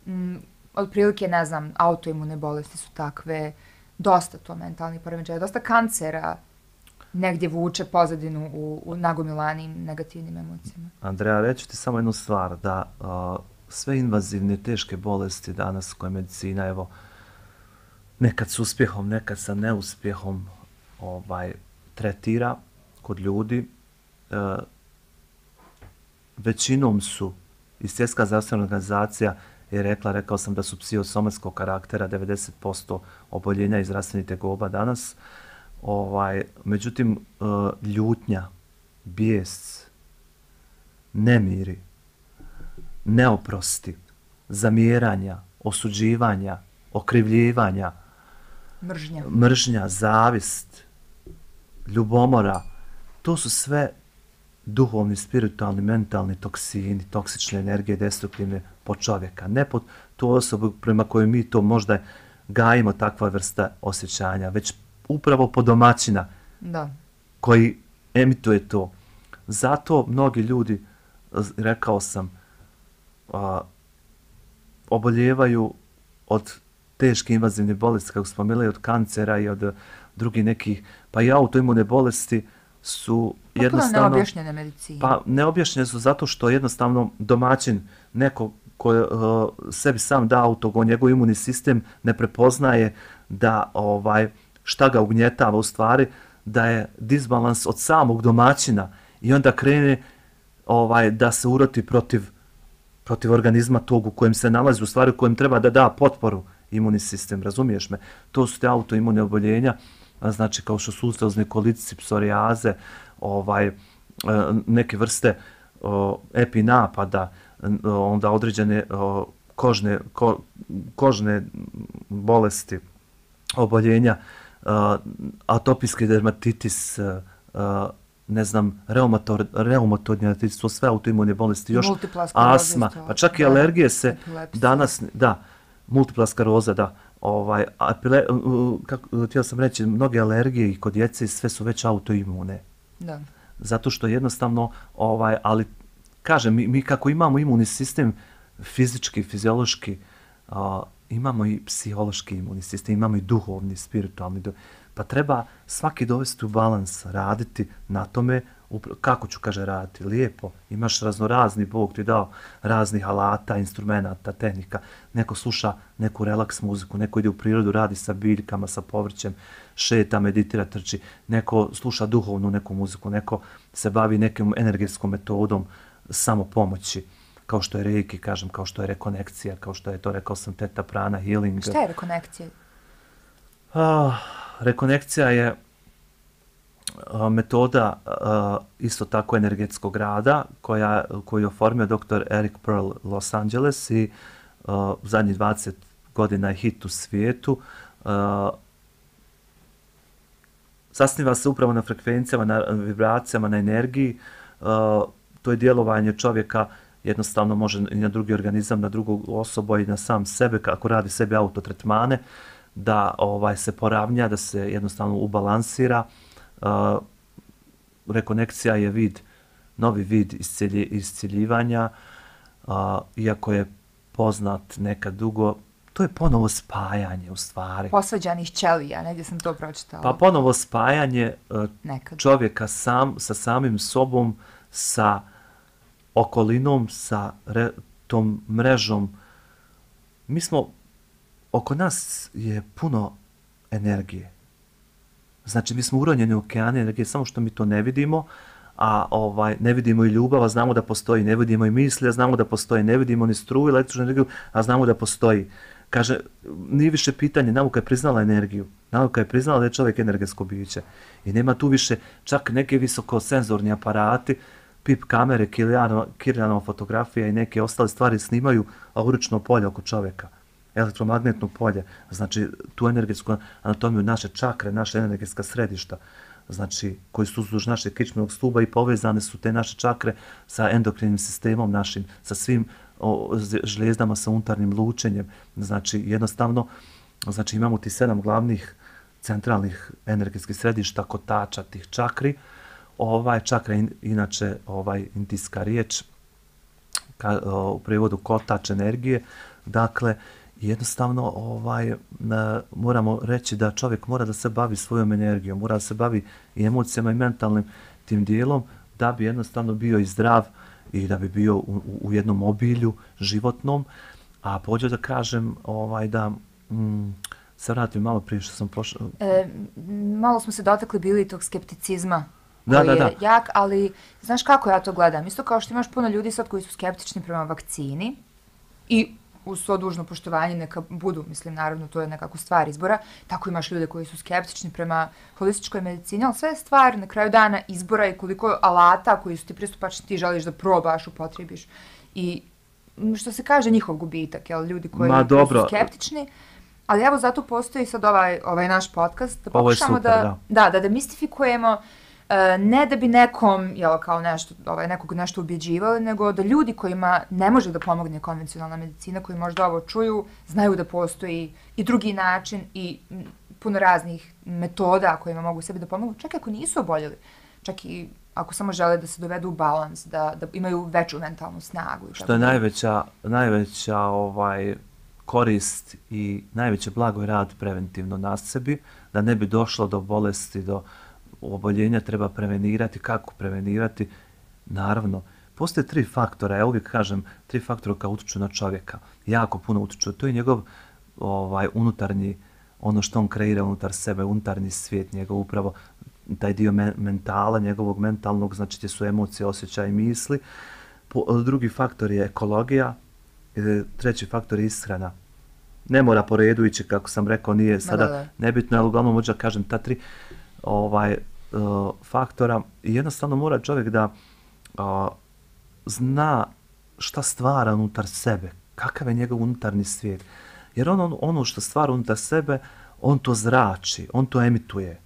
Mm, otprilike, ne znam, autoimune bolesti su takve, dosta to mentalni poremećaja, dosta kancera negdje vuče pozadinu u, u nagomilanim negativnim emocijama. Andreja, reći ti samo jednu stvar, da uh, sve invazivne teške bolesti danas koje medicina, evo, nekad s uspjehom, nekad sa neuspjehom ovaj, tretira kod ljudi, uh, većinom su, i Svjetska zdravstvena organizacija je rekla, rekao sam da su psihosomatskog karaktera, devedeset posto oboljenja i zdravstvenih tegoba danas. Ovaj, međutim, ljutnja, bijes, nemiri, neoprosti, zamjeranja, osuđivanja, okrivljivanja, mržnja, mržnja, zavist, ljubomora, to su sve duhovni, spiritualni, mentalni toksini, toksične energije, destruktivne po čovjeka. Ne po tu osobu prema kojoj mi to možda gajimo takva vrsta osjećanja, već upravo po domaćina da. Koji emituje to. Zato mnogi ljudi, rekao sam, a, oboljevaju od teške invazivne bolesti, kako smo imali, od kancera i od drugih nekih, pa i autoimune bolesti su pa jednostavno... neobjašnjene medicine. Pa neobjašnjene su zato što jednostavno domaćin, neko ko uh, sebi sam da autogo, njegov imunni sistem ne prepoznaje da ovaj šta ga ugnjetava u stvari, da je disbalans od samog domaćina i onda krene ovaj da se uroti protiv protiv organizma tog u kojem se nalazi, u stvari u kojem treba da da potporu imunni sistem, razumiješ me? To su te autoimune oboljenja, znači kao što su ulcerozni kolitis, psorijaze, ovaj, neke vrste o, epinapada, onda određene o, kožne, ko, kožne bolesti, oboljenja, o, atopijski dermatitis, o, ne znam, reumatoidni artritis, to sve autoimune bolesti, još astma, pa čak i alergije se danas, da, multipla skleroza, da, ovaj, apile, kako, htio sam reći, mnoge alergije i kod djece sve su već autoimune. Da. Zato što jednostavno, ovaj, ali kažem, mi, mi kako imamo imunni sistem fizički, fiziološki, a, imamo i psihološki imunni sistem, imamo i duhovni, spiritualni. Pa treba svaki dovesti u balans, raditi na tome, kako ću, kaže, raditi, lijepo. Imaš raznorazni, Bog ti dao raznih alata, instrumenata, tehnika. Neko sluša neku relaks muziku, neko ide u prirodu, radi sa biljkama, sa povrćem, šeta, meditira, trči. Neko sluša duhovnu neku muziku, neko se bavi nekom energetskom metodom samopomoći, kao što je reiki, kažem, kao što je rekonekcija, kao što je to, rekao sam, teta prana, healing. Šta je rekonekcija? Ah, rekonekcija je metoda isto tako energetskog rada koja, koju je oformio doktor Eric Pearl Los Angeles i zadnjih dvadeset godina je hit u svijetu. Zasniva se upravo na frekvencijama, na vibracijama, na energiji. To je djelovanje čovjeka, jednostavno može i na drugi organizam, na drugu osobu i na sam sebe, kako radi sebi autotretmane, da ovaj, se poravnja, da se jednostavno ubalansira. Uh, rekonekcija je vid, novi vid iscelji, isceljivanja, uh, iako je poznat nekad dugo, to je ponovo spajanje u stvari. Posvađanih ćelija, negdje sam to pročitala. Pa ponovo spajanje uh, nekad. Čovjeka sam, sa samim sobom, sa okolinom, sa re, tom mrežom. Mi smo, oko nas je puno energije. Znači, mi smo uronjeni u okeane energije, samo što mi to ne vidimo, a ovaj, ne vidimo i ljubav, a znamo da postoji, ne vidimo i misli, a znamo da postoji, ne vidimo ni struju, električnu energiju, a znamo da postoji. Kaže, nije više pitanje, nauka je priznala energiju, nauka je priznala da je čovjek energetsko biće i nema tu više čak neke visokosenzorni aparati, pip kamere, Kirlianova fotografija i neke ostale stvari snimaju aurično polje oko čovjeka. Elektromagnetno polje, znači tu energetsku anatomiju, naše čakre, naše energetska središta, znači koji su uzduž našeg kičmenog stuba i povezane su te naše čakre sa endokrinim sistemom našim, sa svim o, žlijezdama, sa unutarnjim lučenjem. Znači jednostavno, znači imamo ti sedam glavnih centralnih energetskih središta, kotača tih čakri. Ovaj čakra in, inače ovaj indijska riječ, ka, o, u prijevodu kotač energije, dakle jednostavno ovaj, na, moramo reći da čovjek mora da se bavi svojom energijom, mora da se bavi i emocijama i mentalnim tim dijelom da bi jednostavno bio i zdrav i da bi bio u, u, u jednom obilju životnom. A pođe da kažem ovaj, da mm, se vratim malo prije što sam pošao. E, malo smo se dotakli bili tog skepticizma da, koji da, je da. jak, ali znaš kako ja to gledam? Isto kao što imaš puno ljudi sad koji su skeptični prema vakcini i uz svo dužno poštovanje neka budu, mislim, naravno, to je nekako stvar izbora, tako imaš ljude koji su skeptični prema holističkoj medicini, ali sve je stvar na kraju dana izbora i koliko alata koji su ti pristupačni ti želiš da probaš, upotrebiš. I što se kaže, njihov gubitak, jel, ljudi koji, Ma, koji dobro. su skeptični, ali evo zato postoji sad ovaj, ovaj naš podcast, da pokušamo super, da, da. da, da demistifikujemo. Uh, ne da bi nekom, jel, kao nešto, ovaj, nekog nešto ubjeđivali, nego da ljudi kojima ne može da pomogne konvencionalna medicina, koji možda ovo čuju, znaju da postoji i drugi način i m, puno raznih metoda kojima mogu sebi da pomogu, čak i ako nisu oboljeli, čak i ako samo žele da se dovedu u balans, da, da imaju veću mentalnu snagu. I Što tako je da. najveća, najveća ovaj, korist i najveće blago je rad preventivno na sebi, da ne bi došlo do bolesti, do oboljenja. Treba prevenirati. Kako prevenirati? Naravno, postoje tri faktora, ja uvijek kažem, tri faktora koja utiču na čovjeka. Jako puno utiču. To je njegov ovaj, unutarnji, ono što on kreira unutar sebe, unutarnji svijet, njegov upravo taj dio men mentala, njegovog mentalnog, znači te su emocije, osjećaje i misli. Po, drugi faktor je ekologija, treći faktor je ishrana. Ne mora po redu ići, kako sam rekao, nije sada da, da. nebitno, ali uglavnom možda kažem ta tri ovaj uh, faktora i jednostavno mora čovjek da uh, zna šta stvara unutar sebe, kakav je njegov unutarnji svijet. Jer on, ono što stvara unutar sebe, on to zrači, on to emituje.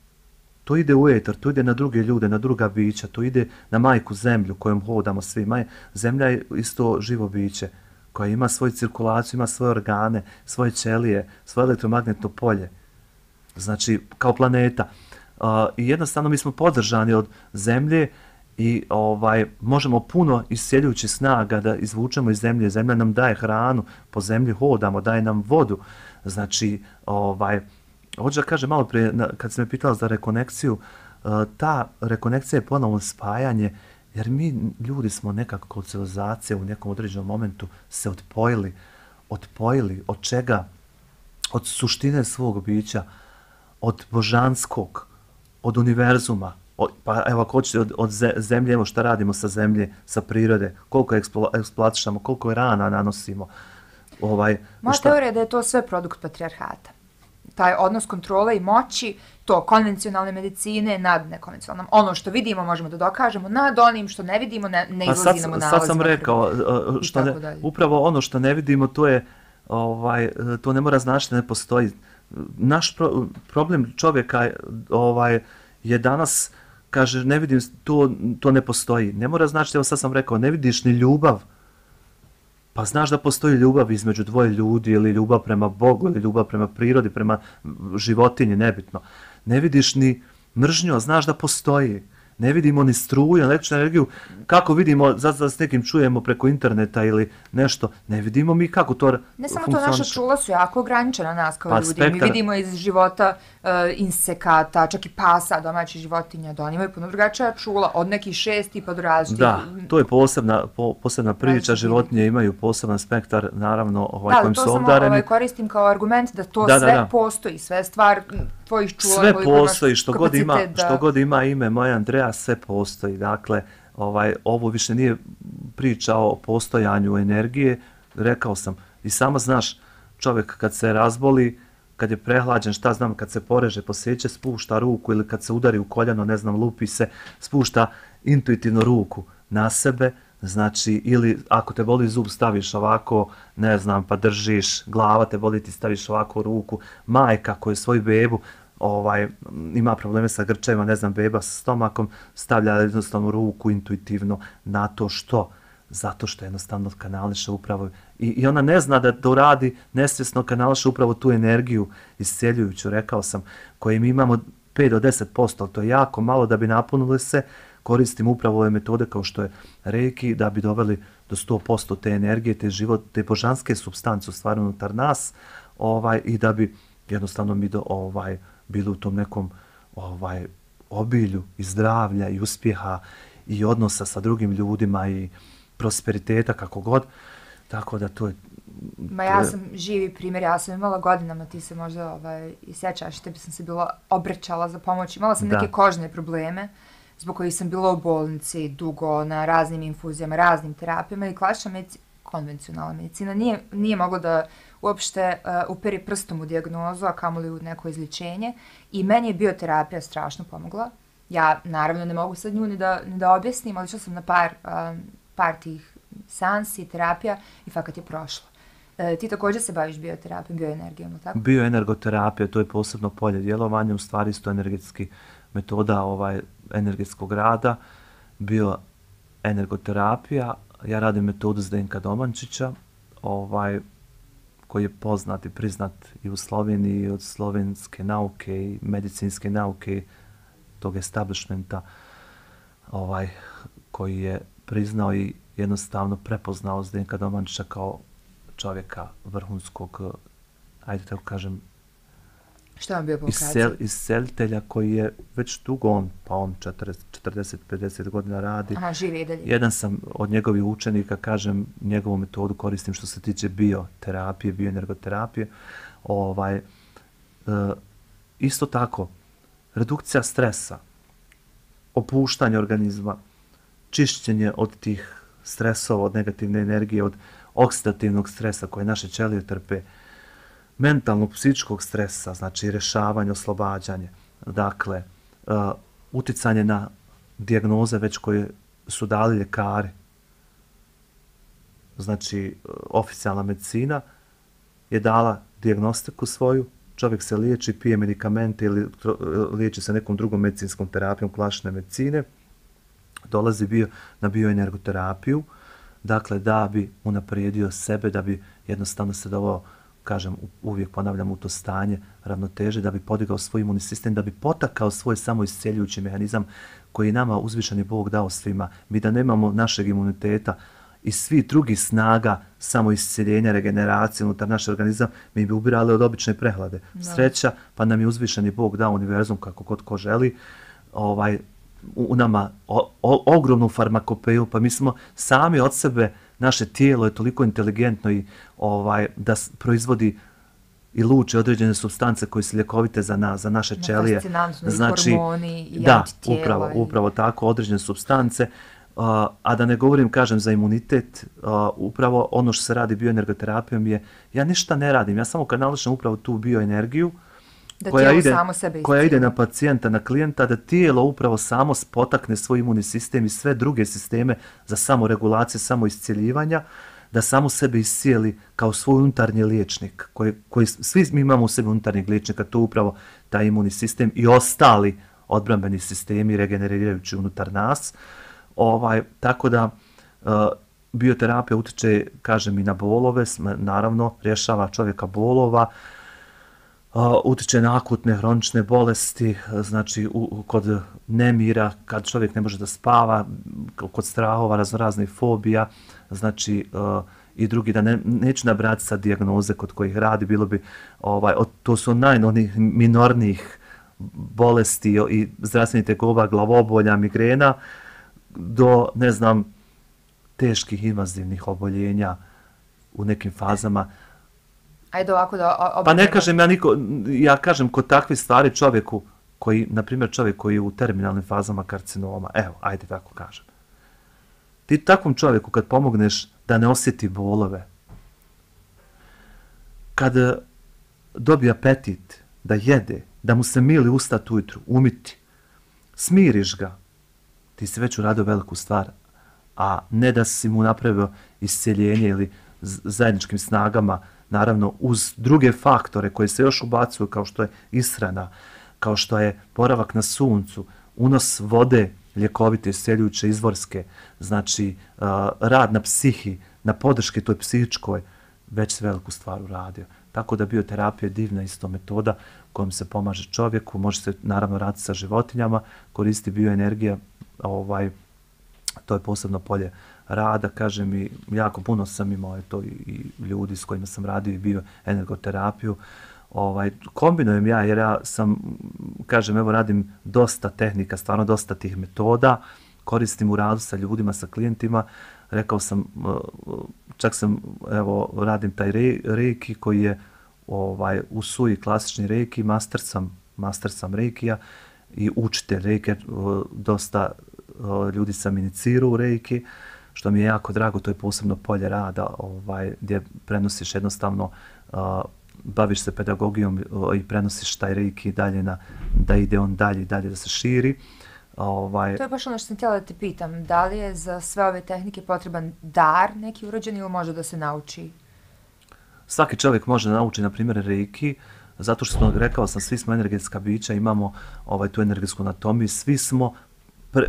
To ide u eter, to ide na druge ljude, na druga bića, to ide na majku zemlju kojom hodamo svi. Maj, zemlja je isto živo biće koja ima svoju cirkulaciju, ima svoje organe, svoje ćelije, svoje elektromagnetno polje. Znači, kao planeta. Uh, I jednostavno mi smo podržani od zemlje i ovaj, možemo puno isceljujućih snaga da izvučemo iz zemlje. Zemlja nam daje hranu, po zemlji hodamo, daje nam vodu. Znači, ovaj, hoću da kažem malo prije, kad sam me pitala za rekonekciju, ta rekonekcija je ponovno spajanje, jer mi ljudi smo nekako kod civilizacije u nekom određenom momentu se odpojili, odpojili od čega? Od suštine svog bića, od božanskog, od univerzuma, od, pa evo ako hoćete od, od zemlje, evo šta radimo sa zemlje, sa prirode, koliko eksplo, eksploatišamo, koliko je rana nanosimo. Ovaj, Moja šta... teorija je da je to sve produkt patrijarhata. Taj odnos kontrole i moći, to konvencionalne medicine nad nekonvencionalnom. Ono što vidimo možemo da dokažemo, nad onim što ne vidimo ne, ne izlazi pa nam u nalazima. Sad sam rekao, što ne, upravo ono što ne vidimo, to je ovaj, to ne mora značiti da ne postoji. Naš pro, problem čovjeka ovaj, je danas, kaže, ne vidim, to, to ne postoji. Ne mora značiti, evo sad sam rekao, ne vidiš ni ljubav, pa znaš da postoji ljubav između dvoje ljudi ili ljubav prema Bogu ili ljubav prema prirodi, prema životinji, nebitno. Ne vidiš ni mržnju, a znaš da postoji. Ne vidimo ni struju, električnu energiju. Kako vidimo, zato s nekim čujemo preko interneta ili nešto, ne vidimo mi kako to Ne samo to, naša čula su jako ograničena nas kao pa, ljudi. Spektar... Mi vidimo iz života uh, insekata, čak i pasa, domaćih životinja, da oni imaju puno drugačija čula, od nekih šesti pa do različitih. Da, to je posebna, po, posebna priča, životinje imaju poseban spektar, naravno, ovaj, da, kojim su obdareni. Da, to samo ovaj, koristim kao argument da to da, sve da, da. postoji, sve stvar tvojih čula. Sve postoji, što god, ima, da... što god ima ime moja Andreja, sve postoji. Dakle, ovaj, ovo više nije priča o postojanju energije, rekao sam, i samo znaš, čovjek kad se razboli, kad je prehlađen, šta znam, kad se poreže, posjeće, spušta ruku ili kad se udari u koljeno, ne znam, lupi se, spušta intuitivno ruku na sebe, znači, ili ako te boli zub, staviš ovako, ne znam, pa držiš, glava te boli, ti staviš ovako ruku, majka koja je svoju bebu, ovaj, ima probleme sa grčevima, ne znam, beba sa stomakom, stavlja jednostavno ruku intuitivno na to što? Zato što jednostavno kanališe upravo, i, i ona ne zna da to radi, nesvjesno kanališe upravo tu energiju isceljujuću, rekao sam, koje mi imamo pet do deset posto, ali to je jako malo da bi napunili se, koristim upravo ove metode kao što je Reiki, da bi doveli do sto posto te energije, te život, te božanske supstance u stvari unutar nas, ovaj, i da bi jednostavno mi do, ovaj, bili u tom nekom ovaj, obilju i zdravlja i uspjeha i odnosa sa drugim ljudima i prosperiteta, kako god. Tako da to je... Ma ja sam živi primjer, ja sam imala godinama, ti se možda ovaj, i sjećaš, tebi sam se bila obraćala za pomoć. Imala sam da. neke kožne probleme, zbog kojih sam bila u bolnici dugo, na raznim infuzijama, raznim terapijama i klasična medicina, konvencionalna medicina, nije, nije mogla da uopšte uh, uperi prstom u dijagnozu, a kamoli u neko izličenje. I meni je bioterapija strašno pomogla. Ja, naravno, ne mogu sad nju ni da, ni da objasnim, ali išla sam na par, um, par tih seansi, terapija i fakat je prošlo. E, ti također se baviš bioterapijom, bioenergijom, tako? Bioenergoterapija, to je posebno polje djelovanja, u stvari isto energetski metoda ovaj, energetskog rada, bioenergoterapija. Ja radim metodu Zdenka Domančića, ovaj, koji je poznat i priznat i u Sloveniji od slovenske nauke i medicinske nauke tog establishmenta, ovaj, koji je priznao i jednostavno prepoznao Zdenka Domančića kao čovjeka vrhunskog, ajde tako kažem, što vam bio po iscel, iscelitelja koji je već dugo on, pa on četrdeset do pedeset godina radi. Aha, živi i dalje. Jedan sam od njegovih učenika, kažem, njegovu metodu koristim što se tiče bioterapije, bioenergoterapije. Ovaj, e, isto tako, redukcija stresa, opuštanje organizma, čišćenje od tih stresova, od negativne energije, od oksidativnog stresa koje naše ćelije trpe, mentalnog, psihičkog stresa, znači rješavanje, oslobađanje, dakle, uh, uticanje na dijagnoze već koje su dali ljekari, znači, uh, oficijalna medicina je dala dijagnostiku svoju, čovjek se liječi, pije medikamente ili liječi se nekom drugom medicinskom terapijom klasične medicine, dolazi bio na bioenergoterapiju, dakle, da bi unaprijedio sebe, da bi jednostavno se doveo, kažem, uvijek ponavljam, u to stanje ravnoteže, da bi podigao svoj imunni sistem, da bi potakao svoj samoisceljujući mehanizam koji je nama uzvišeni Bog dao svima. Mi da nemamo našeg imuniteta i svih drugih snaga samo isceljenja, regeneracije unutar naše organizam, mi bi ubirali od obične prehlade. Da. Sreća, pa nam je uzvišeni Bog dao univerzum kako god ko želi, ovaj, u, u nama o, o, ogromnu farmakopeju, pa mi smo sami od sebe, naše tijelo je toliko inteligentno i ovaj, da s- proizvodi i luče određene supstance koje su ljekovite za nas, za naše ćelije. Fascinantno, i Znači, hormoni, i da, antitijela. upravo, i- upravo tako, određene supstance. Uh, a da ne govorim, kažem, za imunitet, uh, upravo ono što se radi bioenergoterapijom je, ja ništa ne radim, ja samo kanališem upravo tu bioenergiju Da koja tijelo ide, samo sebe koja ide iscijeli. na pacijenta, na klijenta, da tijelo upravo samo potakne svoj imunni sistem i sve druge sisteme za samoregulaciju, samoiscjeljivanja, da samo sebe iscijeli kao svoj unutarnji liječnik, koji, koji svi mi imamo u sebi unutarnjeg liječnika, to je upravo taj imunni sistem i ostali odbrambeni sistemi regenerirajući unutar nas. Ovaj, tako da uh, bioterapija utiče, kažem, i na bolove, sm- naravno, rješava čovjeka bolova, uh, utiče na akutne hronične bolesti, uh, znači u, u- kod nemira, kad čovjek ne može da spava, k- kod strahova, raznoraznih fobija, znači uh, i drugi, da ne, neću nabrati sad dijagnoze kod kojih radi, bilo bi, ovaj, od, to su najnonih minornijih bolesti i zdravstvenih tegoba, glavobolja, migrena, do, ne znam, teških invazivnih oboljenja u nekim fazama. Ajde ovako da o- Pa ne obranimo. kažem ja niko, ja kažem kod takvih stvari čovjeku koji, na primjer čovjek koji je u terminalnim fazama karcinoma, evo, ajde tako kažem. Ti takvom čovjeku kad pomogneš da ne osjeti bolove, kad eh, dobije apetit, da jede, da mu se mili ustat ujutru, umiti, smiriš ga, ti si već uradio veliku stvar, a ne da si mu napravio isceljenje ili z- zajedničkim snagama, naravno uz druge faktore koje se još ubacuju kao što je ishrana, kao što je boravak na suncu, unos vode ljekovite, isceljujuće, izvorske, znači uh, rad na psihi, na podrške toj psihičkoj, već se veliku stvar uradio. Tako da bioterapija je divna isto metoda kojom se pomaže čovjeku, može se naravno raditi sa životinjama, koristi bioenergija, ovaj, to je posebno polje rada, kažem, i jako puno sam imao je to i, i ljudi s kojima sam radio i bio energoterapiju. Ovaj, kombinujem ja jer ja sam, kažem, evo radim dosta tehnika, stvarno dosta tih metoda, koristim u radu sa ljudima, sa klijentima. Rekao sam, čak sam, evo, radim taj re, reiki koji je ovaj, u suji klasični reiki, master sam, master sam reikija i učitelj reiki, dosta ljudi sam inicirao u reiki, što mi je jako drago, to je posebno polje rada ovaj, gdje prenosiš jednostavno, uh, baviš se pedagogijom uh, i prenosiš taj reiki dalje na, da ide on dalje i dalje da se širi. Ovaj, To je baš ono što sam htjela da te pitam. Da li je za sve ove tehnike potreban dar neki urođen ili može da se nauči? Svaki čovjek može da nauči, na primjer, reiki, zato što smo, rekao sam, svi smo energetska bića, imamo ovaj, tu energetsku anatomiju, svi smo pre,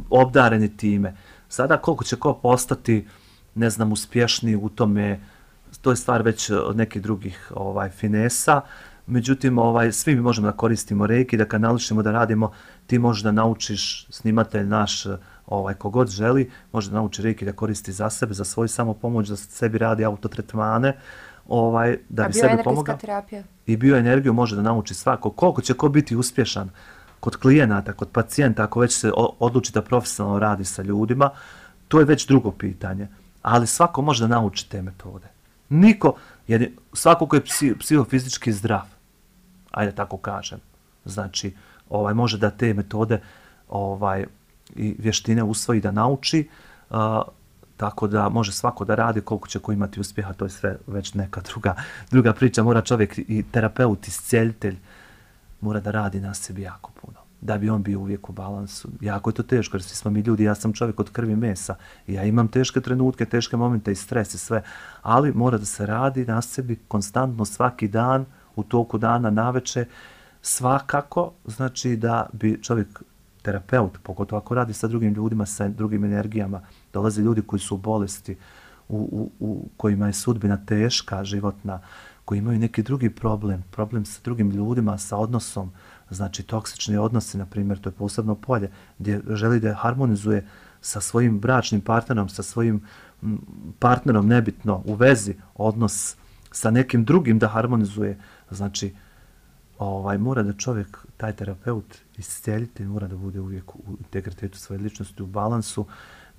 obdareni time. Sada koliko će ko postati, ne znam, uspješniji u tome, to je stvar već od nekih drugih ovaj, finesa, međutim, ovaj, svi mi možemo da koristimo reiki, da kanališemo, da radimo, ti možeš da naučiš, snimatelj naš, ovaj, kogod želi, može da nauči reiki da koristi za sebe, za svoju samopomoć, da sebi radi autotretmane, ovaj, da A bi sebi bioenergetska pomogao. terapija? I bioenergiju može da nauči svako. Koliko će ko biti uspješan kod klijenata, kod pacijenta, ako već se o- odluči da profesionalno radi sa ljudima, to je već drugo pitanje. Ali svako može da nauči te metode. Niko, jer je- svako ko je psi, psihofizički zdrav, ajde tako kažem, znači ovaj, može da te metode ovaj, i vještine usvoji da nauči, uh, tako da može svako da radi, koliko će ko imati uspjeha, to je sve već neka druga, druga priča. Mora čovjek i terapeut, iscijeljitelj, mora da radi na sebi jako puno, da bi on bio uvijek u balansu. Jako je to teško, jer svi smo mi ljudi, ja sam čovjek od krvi i mesa, i ja imam teške trenutke, teške momente i stres i sve, ali mora da se radi na sebi konstantno svaki dan, u toku dana, naveče, svakako, znači da bi čovjek, terapeut, pogotovo ako radi sa drugim ljudima, sa drugim energijama, dolaze ljudi koji su u bolesti, u, u, u kojima je sudbina teška, životna, koji imaju neki drugi problem, problem sa drugim ljudima, sa odnosom, znači toksični odnosi, na primjer, to je posebno polje, gdje želi da harmonizuje sa svojim bračnim partnerom, sa svojim partnerom, nebitno, u vezi, odnos sa nekim drugim da harmonizuje, znači, ovaj, mora da čovjek, taj terapeut, iscijeljitelj, mora da bude uvijek u integritetu svoje ličnosti, u balansu,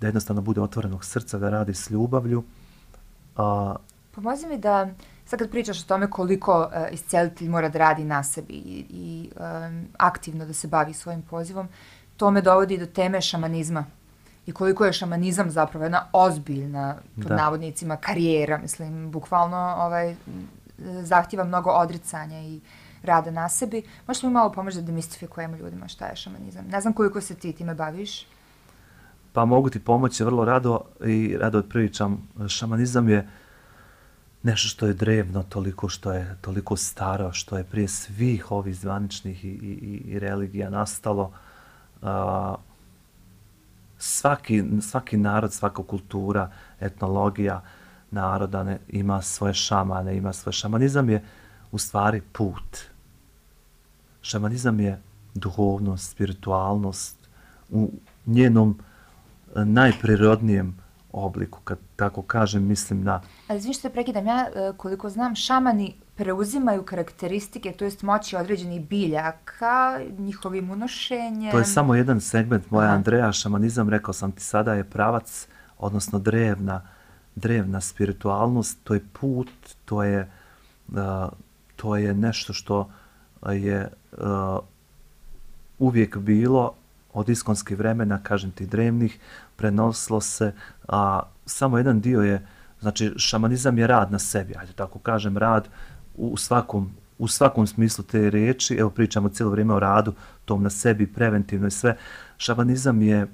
da jednostavno bude otvorenog srca, da radi s ljubavlju. A... Pomozi mi da, sad kad pričaš o tome koliko uh, iscijelitelj mora da radi na sebi i, i um, aktivno da se bavi svojim pozivom, to me dovodi do teme šamanizma. I koliko je šamanizam zapravo jedna ozbiljna, pod da. navodnicima, karijera, mislim, bukvalno ovaj, zahtjeva mnogo odricanja i rada na sebi. Možeš mi malo pomoći da demistifikujemo ljudima šta je šamanizam? Ne znam koliko se ti time baviš. Pa mogu ti pomoći vrlo rado i rado pričam. Šamanizam je nešto što je drevno, toliko što je toliko staro, što je prije svih ovih zvaničnih i, i, i religija nastalo. Uh, svaki, svaki narod, svaka kultura, etnologija naroda ne, ima svoje šamane, ima svoje. Šamanizam je u stvari put. Šamanizam je duhovnost, spiritualnost u njenom najprirodnijem obliku, kad tako kažem, mislim na... Ali izvim što te prekidam, ja koliko znam, šamani preuzimaju karakteristike, to jest moći određenih biljaka, njihovim unošenjem... To je samo jedan segment moja Andreja. Šamanizam, rekao sam ti sada, je pravac, odnosno drevna, drevna spiritualnost, to je put, to je, uh, to je nešto što je uh, uvijek bilo od iskonskih vremena, kažem ti, drevnih, prenosilo se, a samo jedan dio je, znači šamanizam je rad na sebi, ajde tako kažem, rad u svakom, u svakom smislu te riječi, evo pričamo cijelo vrijeme o radu, tom na sebi, preventivno i sve. Šamanizam je uh,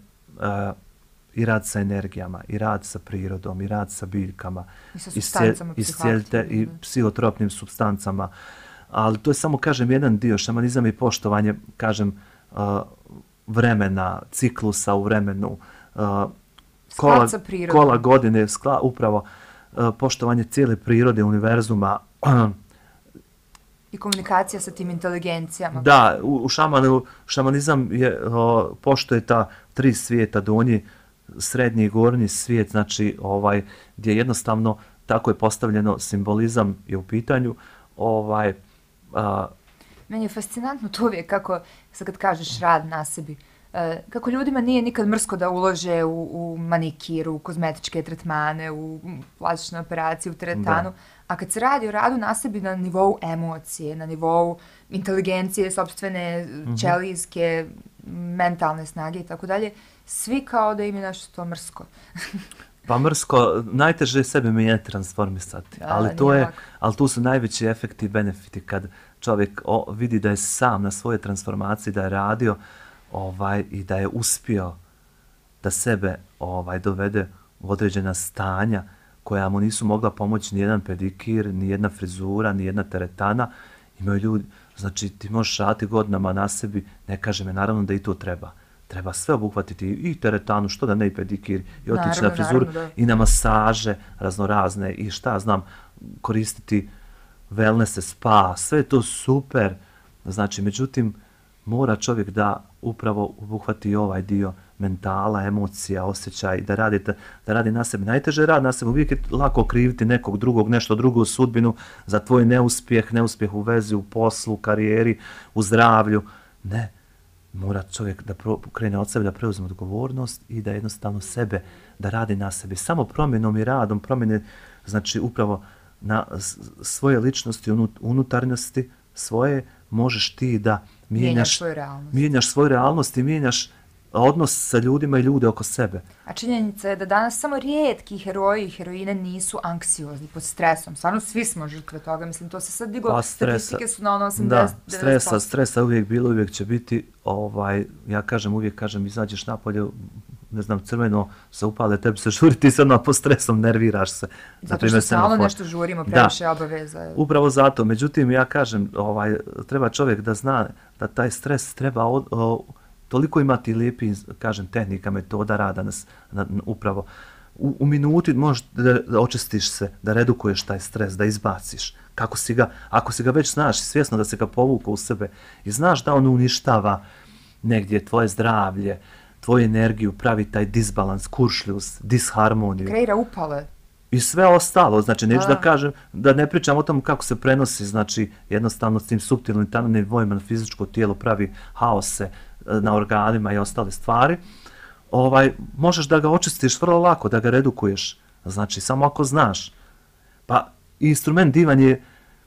i rad sa energijama, i rad sa prirodom, i rad sa biljkama, i sa supstancama, i, scijelite, i psihotropnim supstancama, ali to je samo, kažem, jedan dio. Šamanizam je poštovanje, kažem, uh, vremena, ciklusa u vremenu, uh, kola, kola godine, skla, upravo uh, poštovanje cijele prirode, univerzuma. I komunikacija sa tim inteligencijama. Da, u, u šamanu, šamanizam je, uh, poštuje ta tri svijeta, donji, srednji i gornji svijet, znači ovaj, gdje jednostavno tako je postavljeno, simbolizam je u pitanju. Ovaj, uh, Meni je fascinantno to uvijek kako, sad kad kažeš rad na sebi, uh, kako ljudima nije nikad mrsko da ulože u, u manikiru, u kozmetičke tretmane, u plastične operacije, u teretanu, da. A kad se radi o radu na sebi na nivou emocije, na nivou inteligencije, sopstvene, mm-hmm. ćelijske, mentalne snage i tako dalje, svi kao da im je nešto to mrsko. Pa mrsko, najteže je sebe mijenjati, transformisati, da, ali, to je, ali tu su najveći efekti i benefiti kad čovjek o, vidi da je sam na svoje transformacije, da je radio ovaj, i da je uspio da sebe ovaj, dovede u određena stanja koja mu nisu mogla pomoći ni jedan pedikir, ni jedna frizura, ni jedna teretana. Imaju ljudi, znači ti možeš raditi godinama na sebi, ne kaže me, naravno da i to treba. Treba sve obuhvatiti, i teretanu, što da ne i pedikir, i otići na frizuru, i na masaže raznorazne, i šta znam, koristiti wellness, spa, sve je to super. Znači, međutim, mora čovjek da upravo obuhvati ovaj dio mentala, emocija, osjećaj, da radi, da, da radi na sebi. Najteže je rad na sebi, uvijek je lako kriviti nekog drugog, nešto drugo u sudbinu za tvoj neuspjeh, neuspjeh u vezi, u poslu, u karijeri, u zdravlju. Ne, mora čovjek da pro, krene od sebe, da preuzme odgovornost i da jednostavno sebe, da radi na sebi. Samo promjenom i radom, promjene, znači upravo na svoje ličnosti, unutarnjosti svoje, možeš ti da mijenjaš svoju realnost, mijenjaš svoju realnost i mijenjaš odnos sa ljudima i ljude oko sebe. A činjenica je da danas samo rijetki heroji i heroine nisu anksiozni, pod stresom. Stvarno svi smo žrtve toga. Mislim, to se sad diglo, pa statistike su na ono osamdeset da, stresa, stresa uvijek bilo, uvijek će biti. Ovaj, ja kažem, uvijek kažem, izađeš napolje, ne znam, crveno se upale, tebi se žuri, ti se odmah po stresom, nerviraš se. Zato što stalno nešto žurimo, previše obaveza. Upravo zato. Međutim, ja kažem, ovaj, treba čovjek da zna da taj stres treba od, o, toliko imati lijepi, kažem, tehnika, metoda rada nas, na, na, upravo. U, u minuti možeš da, da očistiš se, da redukuješ taj stres, da izbaciš. kako si ga, ako si ga već znaš, svjesno da se ga povukao u sebe i znaš da on uništava negdje tvoje zdravlje, tvoju energiju, pravi taj disbalans, kuršljus, disharmoniju. Kreira upale. I sve ostalo, znači neću da. da kažem, da ne pričam o tom kako se prenosi, znači jednostavno s tim suptilnim tanom nivoima na fizičko tijelo pravi haose na organima i ostale stvari, ovaj, možeš da ga očistiš vrlo lako, da ga redukuješ, znači samo ako znaš. Pa instrument divan je,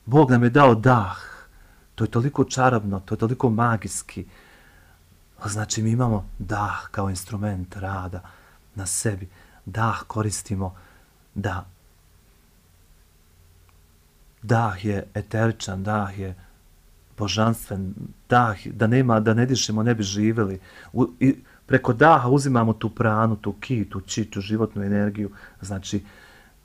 Bog nam je dao dah, to je toliko čarobno, to je toliko magijski, znači mi imamo dah kao instrument rada na sebi, dah koristimo da dah je eteričan, dah je božanstven, dah, da nema, da ne dišemo, ne bi živjeli. U, i preko daha uzimamo tu pranu, tu ki, tu či, tu životnu energiju, znači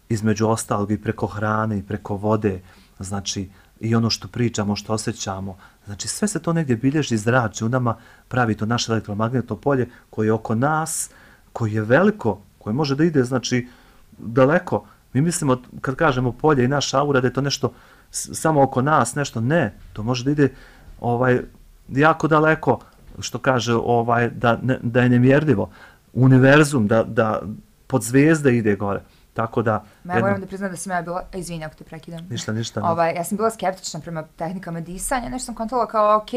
između ostalog i preko hrane i preko vode, znači i ono što pričamo, što osjećamo, znači sve se to negdje bilježi, zrači u nama, pravi to naše elektromagnetno polje koje je oko nas, koje je veliko, koje može da ide, znači, daleko. Mi mislimo, kad kažemo polje i naša aura, da je to nešto samo oko nas, nešto ne. To može da ide ovaj, jako daleko, što kaže, ovaj, da, ne, da je nemjerljivo. Univerzum, da, da pod zvijezde ide gore. Tako da... Ma ja moram da priznam da sam ja bila, izvini ako te prekidam. Ništa, ništa. Ovaj, ja sam bila skeptična prema tehnikama disanja, nešto sam kontovala kao, ok,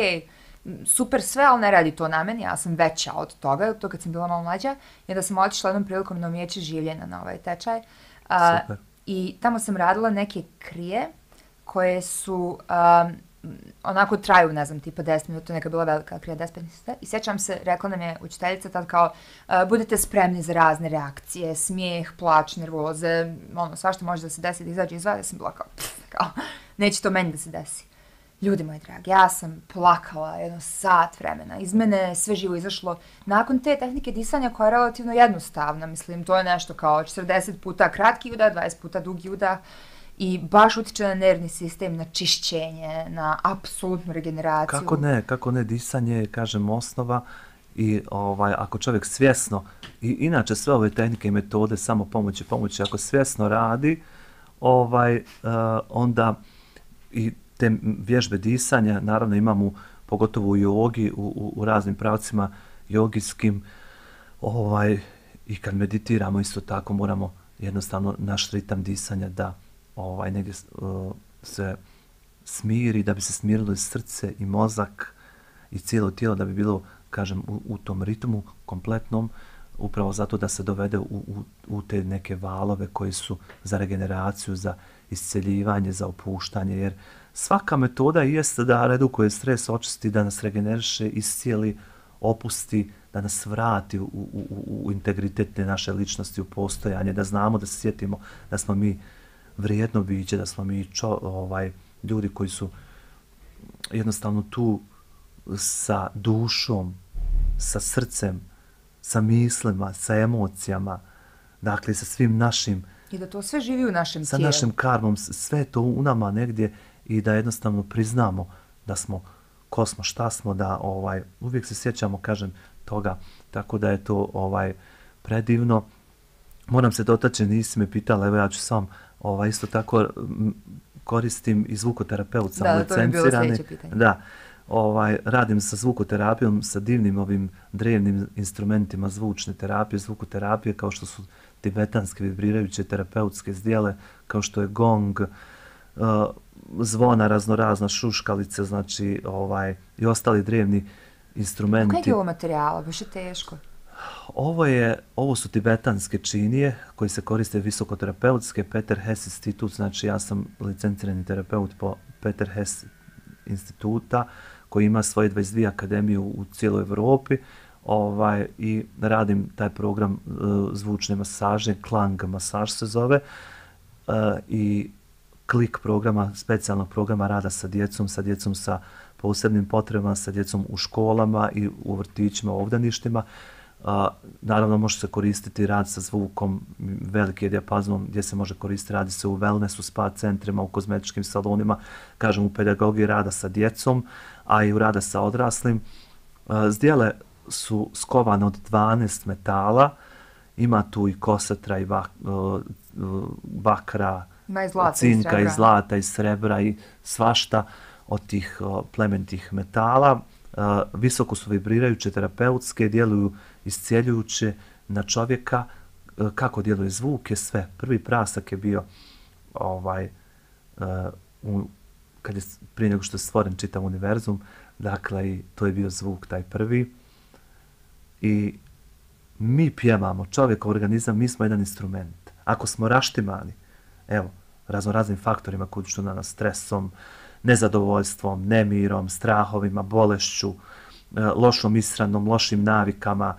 super sve, ali ne radi to na meni, ja sam veća od toga, to kad sam bila malo mlađa, i onda sam otišla jednom prilikom na umijeće življenja na ovaj tečaj. A, super. I tamo sam radila neke krije koje su, um, onako traju, ne znam, tipa deset minuta, neka bila velika krija, deset minuta. I sjećam se, rekla nam je učiteljica tad kao, uh, budete spremni za razne reakcije, smijeh, plač, nervoze, ono, svašta može da se desi, da izađe iz vas. Ja sam bila kao, pff, kao, neće to meni da se desi. Ljudi moji dragi, ja sam plakala jedno sat vremena, iz mene sve živo izašlo. Nakon te tehnike disanja koja je relativno jednostavna, mislim, to je nešto kao četrdeset puta kratki udah, dvadeset puta dugi udah i baš utiče na nervni sistem, na čišćenje, na apsolutnu regeneraciju. Kako ne, kako ne, disanje je, kažem, osnova i ovaj, ako čovjek svjesno, i inače sve ove tehnike i metode samo pomoći, pomoći, ako svjesno radi, ovaj, uh, onda i te vježbe disanja, naravno imamo pogotovo u jogi, u, u, u raznim pravcima jogijskim, ovaj, i kad meditiramo isto tako moramo jednostavno naš ritam disanja da ovaj, negdje uh, se smiri, da bi se smirilo i srce i mozak i cijelo tijelo, da bi bilo, kažem, u, u tom ritmu kompletnom, upravo zato da se dovede u, u, u te neke valove koji su za regeneraciju, za isceljivanje, za opuštanje, jer svaka metoda jeste da redukuje stres, očisti, da nas regeneriše, iscijeli, opusti, da nas vrati u, u, u, u integritet naše ličnosti, u postojanje, da znamo, da se sjetimo da smo mi vrijedno biće, da smo mi čo, ovaj, ljudi koji su jednostavno tu sa dušom, sa srcem, sa mislima, sa emocijama, dakle sa svim našim... I da to sve živi u našem sa tijelu. Sa našim karmom, sve to u nama negdje i da jednostavno priznamo da smo, ko smo, šta smo, da ovaj, uvijek se sjećamo, kažem, toga, tako da je to ovaj, predivno. Moram se dotaći, nisi me pitala, evo ja ću sam, ovaj, isto tako koristim i zvukoterapeut, sam da, licencirani. Da, to je bilo sljedeće pitanje. Da, ovaj, radim sa zvukoterapijom, sa divnim ovim drevnim instrumentima zvučne terapije, zvukoterapije, kao što su tibetanske vibrirajuće terapeutske zdjele, kao što je gong, uh, zvona raznorazna, šuškalice, znači ovaj, i ostali drevni instrumenti. Kojeg je ovo materijala? Baš je teško. Ovo, je, ovo su tibetanske činije koji se koriste visokoterapeutske, Peter Hess institut, znači ja sam licencirani terapeut po Peter Hess instituta koji ima svoje dvadeset dvije akademije u, u cijeloj Evropi, ovaj, i radim taj program uh, zvučne masaže, klang masaž se zove, uh, i klik programa, specijalnog programa rada sa djecom, sa djecom sa posebnim potrebama, sa djecom u školama i u vrtićima, u obdaništima. Uh, naravno može se koristiti rad sa zvukom, veliki je dijapazon gdje se može koristiti, radi se u wellnessu, spa centrima, u kozmetičkim salonima, kažem u pedagogiji rada sa djecom, a i u rada sa odraslim. Uh, zdjele su skovane od dvanaest metala, ima tu i kosetra i bak, uh, bakra, Ma i zlata i cinka srebra. i zlata i srebra i svašta od tih o, plemenitih metala. Uh, visoko su vibrirajuće, terapeutske, djeluju iscijeljujuće na čovjeka. Uh, kako djeluje zvuk je sve. Prvi prasak je bio ovaj, uh, u, kad je prije nego što je stvoren čitav univerzum, dakle i to je bio zvuk taj prvi. I mi pjevamo, čovjek, organizam, mi smo jedan instrument. Ako smo raštimani, evo, razno raznim faktorima koji što na nas stresom, nezadovoljstvom, nemirom, strahovima, bolešću, lošom ishranom, lošim navikama,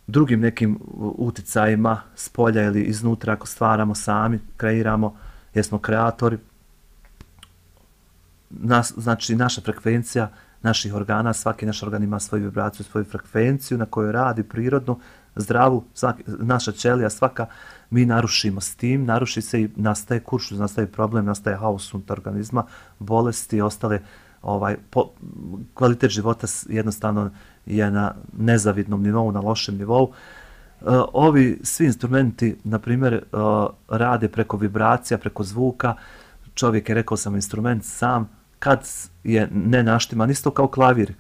drugim nekim uticajima s polja ili iznutra, ako stvaramo sami, kreiramo, jer smo kreatori. Nas, znači, naša frekvencija naših organa, svaki naš organ ima svoju vibraciju, svoju frekvenciju na kojoj radi prirodno, zdravu, svaki, naša ćelija svaka, mi narušimo s tim, naruši se i nastaje kuršuz, nastaje problem, nastaje haos unutar organizma, bolesti i ostale, ovaj, po, kvalitet života jednostavno je na nezavidnom nivou, na lošem nivou. Uh, ovi svi instrumenti, na primjer, uh, rade preko vibracija, preko zvuka. Čovjek je, rekao sam, instrument sam, kad je ne naštiman, isto kao klavir.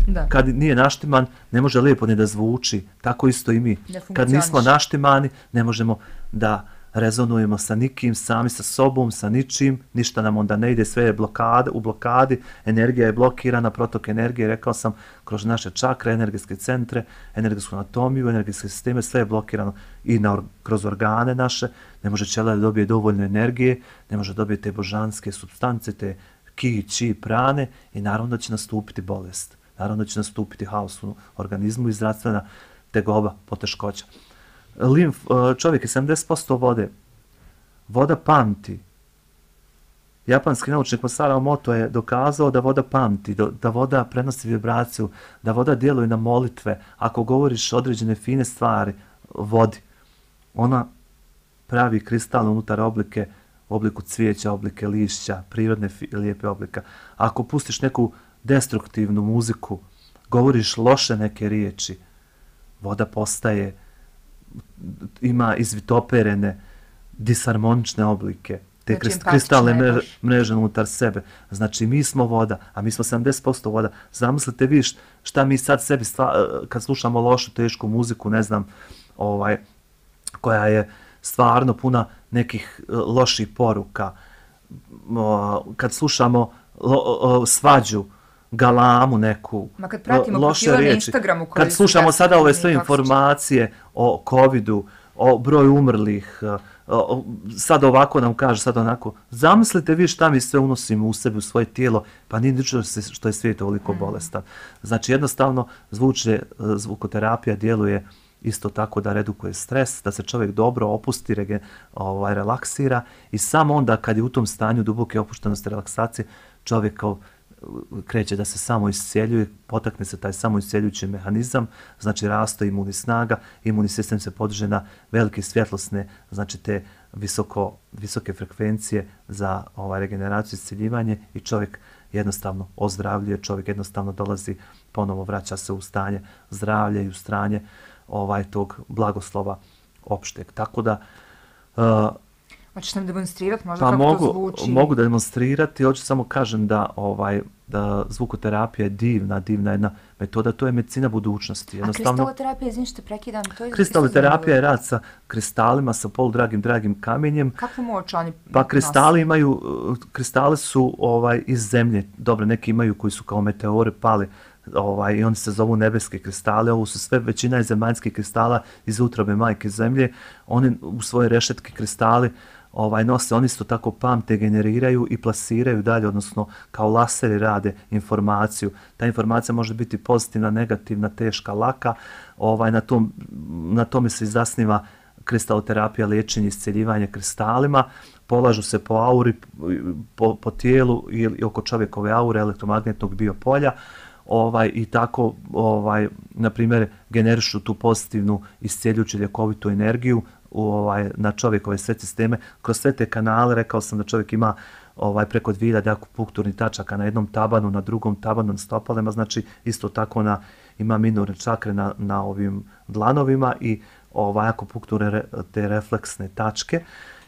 Da. Kad nije naštiman, ne može lijepo ni da zvuči, tako isto i mi. Kad nismo naštimani, ne možemo da rezonujemo sa nikim, sami sa sobom, sa ničim, ništa nam onda ne ide, sve je blokade, u blokadi, energija je blokirana, protok energije, rekao sam, kroz naše čakre, energetske centre, energetsku anatomiju, energetske sisteme, sve je blokirano i na, kroz organe naše, ne može ćelija da dobije dovoljno energije, ne može dobiti te božanske supstance, te ki, či, prane i naravno da će nastupiti bolest. Naravno da će nastupiti haos u organizmu i zdravstvena tegoba, poteškoća. Limf, čovjek je sedamdeset posto vode. Voda pamti. Japanski naučnik Masaru Emoto je dokazao da voda pamti, da voda prenosi vibraciju, da voda djeluje na molitve. Ako govoriš određene fine stvari vodi, ona pravi kristal unutar oblike, obliku cvijeća, oblike lišća, prirodne lijepe oblika. Ako pustiš neku destruktivnu muziku, govoriš loše neke riječi, voda postaje, ima izvitoperene, disharmonične oblike, te znači, kristalne mreže, mreže unutar sebe. Znači, mi smo voda, a mi smo sedamdeset posto voda. Zamislite vi šta mi sad sebi, stva, kad slušamo lošu, tešku muziku, ne znam, ovaj, koja je stvarno puna nekih loših poruka, kad slušamo lo, svađu, galamu neku, ma kad pratimo loše riječi, Instagramu, kad slušamo sada ove sve informacije o covidu, o broju umrlih, o, sad ovako nam kaže, sad onako, zamislite vi šta mi sve unosimo u sebi, u svoje tijelo, pa nije ničego što je svijet ovoliko bolestan. Znači jednostavno zvuče, zvukoterapija djeluje isto tako da redukuje stres, da se čovjek dobro opusti, rege, ovaj, relaksira i samo onda kad je u tom stanju duboke opuštenosti, relaksacije, čovjek kao kreće da se samo iscijeljuje, potakne se taj samo iscijeljujući mehanizam, znači raste imunni snaga, imunni sistem se podiže na velike svjetlosne, znači te visoko, visoke frekvencije za ovaj, regeneraciju i iscijeljivanje i čovjek jednostavno ozdravljuje, čovjek jednostavno dolazi, ponovo vraća se u stanje zdravlja i u stanje ovaj, tog blagoslova opšteg. Tako da uh, hoćeš nam demonstrirati možda pa kako mogu, to zvuči? Mogu da demonstrirati, hoću samo kažem da, ovaj, da zvukoterapija je divna, divna jedna metoda, to je medicina budućnosti. A kristaloterapija, izvim što prekidam, to je... Kristaloterapija je rad sa kristalima, sa poludragim, dragim kamenjem. Kakvu moć oni Pa kristali imaju, kristali su ovaj, iz zemlje, dobro, neki imaju koji su kao meteore pali, ovaj, i oni se zovu nebeske kristale, ovo su sve, većina je zemaljskih kristala iz utrobe majke zemlje, oni u svoje rešetke kristali ovaj, nose, oni isto tako pamte, generiraju i plasiraju dalje, odnosno kao laseri rade informaciju. Ta informacija može biti pozitivna, negativna, teška, laka, ovaj, na, tom, na tome se zasniva kristaloterapija, liječenje, iscjeljivanje kristalima, polažu se po auri, po, po tijelu ili oko čovjekove aure elektromagnetnog biopolja, ovaj, i tako, ovaj, na primjer, generišu tu pozitivnu iscijeljujuću ljekovitu energiju u, ovaj, na čovjekove sve sisteme. Kroz sve te kanale, rekao sam da čovjek ima ovaj, preko dvije hiljade akupunkturnih tačaka na jednom tabanu, na drugom tabanu na stopalima, znači isto tako na, ima minorne čakre na, na ovim dlanovima i ovaj, akupunkturne te refleksne tačke.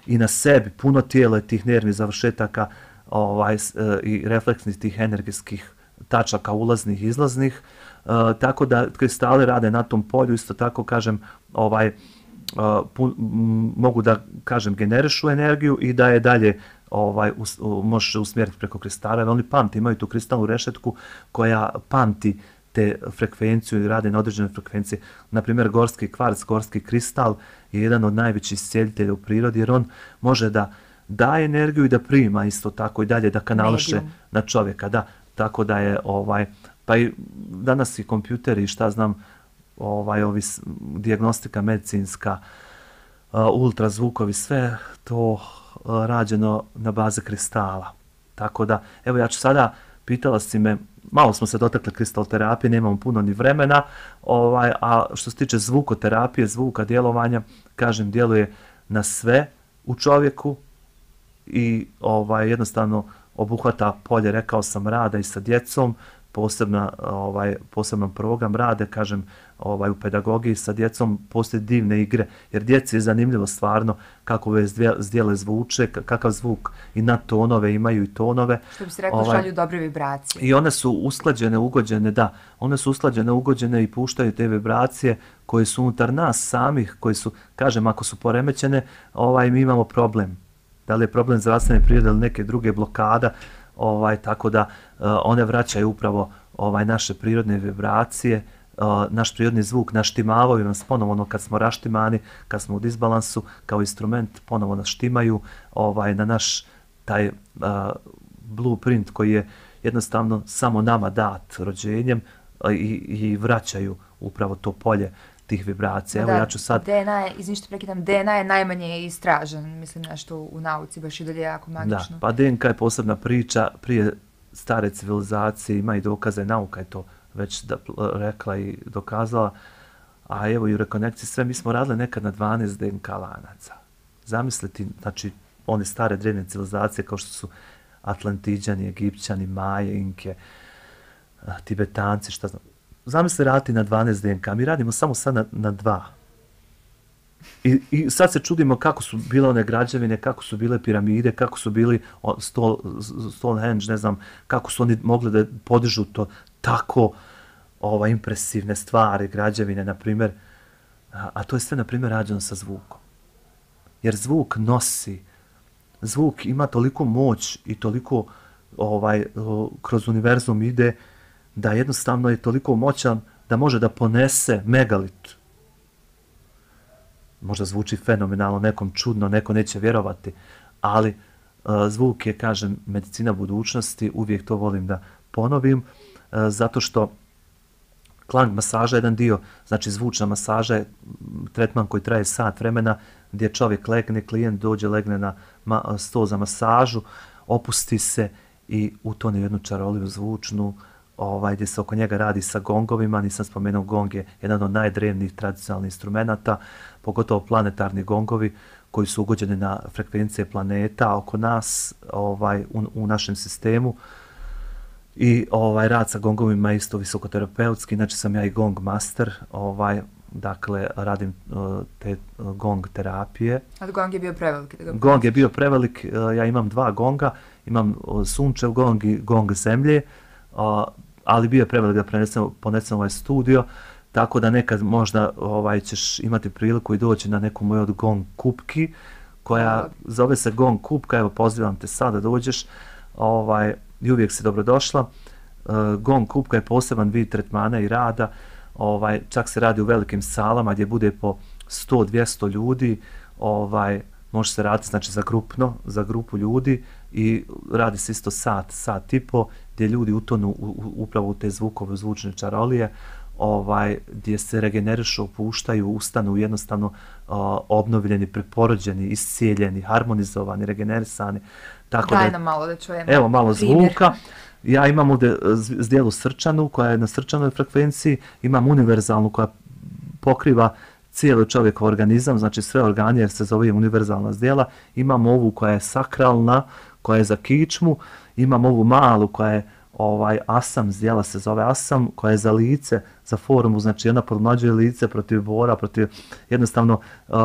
i na sebi puno tijela tih nervnih završetaka ovaj, i refleksnih tih energijskih tačaka ulaznih i izlaznih, uh, tako da kristali rade na tom polju, isto tako kažem, ovaj, uh, pun, m, mogu da kažem generišu energiju i da je dalje ovaj, us, uh, možeš usmjeriti preko kristala, oni pamti, imaju tu kristalnu rešetku koja pamti te frekvenciju i rade na određene frekvencije. Naprimjer, gorski kvarc, gorski kristal je jedan od najvećih iscijeljitelja u prirodi, jer on može da daje energiju i da prima isto tako i dalje da kanališe Medium. Na čovjeka, da. Tako da je, ovaj, pa i danas i kompjuteri, šta znam, ovaj, ovi dijagnostika medicinska, uh, ultrazvukovi, sve to uh, rađeno na bazi kristala. Tako da, evo ja ću sada, pitala si me, malo smo se dotakli kristalterapije, nemamo puno ni vremena, ovaj, a što se tiče zvukoterapije, zvuka, djelovanja, kažem, djeluje na sve u čovjeku i ovaj, jednostavno obuhvata polje, rekao sam, rada i sa djecom, posebna, ovaj, poseban program rade, kažem, ovaj, u pedagogiji sa djecom, postoje divne igre, jer djeci je zanimljivo stvarno kako ove zdjele zvuče, kakav zvuk i na tonove imaju i tonove. Što bi se rekao, ovaj, šalju dobre vibracije. I one su usklađene, ugođene, da, one su usklađene, ugođene i puštaju te vibracije koje su unutar nas samih, koje su, kažem, ako su poremećene, ovaj, mi imamo problem. Da li je problem zdravstvene prirode ili neke druge blokada, ovaj, tako da uh, one vraćaju upravo ovaj, naše prirodne vibracije, uh, naš prirodni zvuk, naštimavaju nas ponovo, ono kad smo raštimani, kad smo u disbalansu, kao instrument ponovo nas štimaju ovaj, na naš taj uh, blueprint koji je jednostavno samo nama dat rođenjem uh, i, i vraćaju upravo to polje tih vibracija. Da, evo ja ću sad... D N A je, izvini što prekidam, D N A je najmanje istražen, mislim nešto u nauci, baš i dalje jako magično. Da, pa D N K je posebna priča, prije stare civilizacije ima i dokaze, nauka je to već da, rekla i dokazala, a evo i u rekonekciji sve, mi smo radili nekad na dvanaest D N K lanaca. Zamisliti, znači, one stare drevne civilizacije kao što su Atlantiđani, Egipćani, Maje, Inke, Tibetanci, šta znam. Zamisli raditi na dvanaest D N K, mi radimo samo sad na, na dva. I, I sad se čudimo kako su bile one građevine, kako su bile piramide, kako su bili Stol, Stonehenge, ne znam, kako su oni mogli da podižu to tako ova, impresivne stvari, građevine, na primjer. A, a to je sve, na primjer, rađeno sa zvukom. Jer zvuk nosi, zvuk ima toliko moć i toliko ovaj, kroz univerzum ide, da jednostavno je toliko moćan da može da ponese megalit. Možda zvuči fenomenalno, nekom čudno, neko neće vjerovati, ali uh, zvuk je, kažem, medicina budućnosti, uvijek to volim da ponovim, uh, zato što klang masaža je jedan dio, znači zvučna masaža je tretman koji traje sat vremena, gdje čovjek legne, klijent dođe, legne na ma, sto za masažu, opusti se i utone jednu čaroliju zvučnu, ovaj, gdje se oko njega radi sa gongovima. Nisam spomenuo, gong je jedan od najdrevnijih tradicionalnih instrumenta, pogotovo planetarni gongovi koji su ugođeni na frekvencije planeta oko nas, ovaj, u, u našem sistemu. I ovaj, rad sa gongovima je isto visokoterapeutski, znači sam ja i gong master, ovaj, dakle radim uh, te uh, gong terapije. A gong je bio prevelik? Da ga gong je bio prevelik, uh, ja imam dva gonga, imam uh, sunčev gong i gong zemlje, uh, ali bio je prevelik da prenesem, ponesem ovaj studio, tako da nekad možda ovaj, ćeš imati priliku i doći na neku moju od gong kupki, koja zove se gong kupka, evo pozivam te sad da dođeš, ovaj, i uvijek si dobrodošla. Uh, gong kupka je poseban vid tretmana i rada, ovaj, čak se radi u velikim salama gdje bude po sto do dvjesto ljudi, ovaj, može se raditi znači, za grupno, za grupu ljudi i radi se isto sat, sat i po, gdje ljudi utonu u, u, upravo u te zvukove, zvučne čarolije, ovaj, gdje se regenerišu, opuštaju, ustanu jednostavno uh, obnovljeni, preporođeni, iscijeljeni, harmonizovani, regenerisani. Tako Daj da, nam malo da čujemo. Evo malo primjer. Zvuka. Ja imam ovdje zdjelu srčanu koja je na srčanoj frekvenciji, imam univerzalnu koja pokriva cijeli čovjekov organizam, znači sve organe jer se zove univerzalna zdjela. Imam ovu koja je sakralna, koja je za kičmu, imam ovu malu koja je ovaj asam, zdjela se zove asam, koja je za lice, za formu, znači ona podmlađuje lice protiv bora, protiv jednostavno, uh,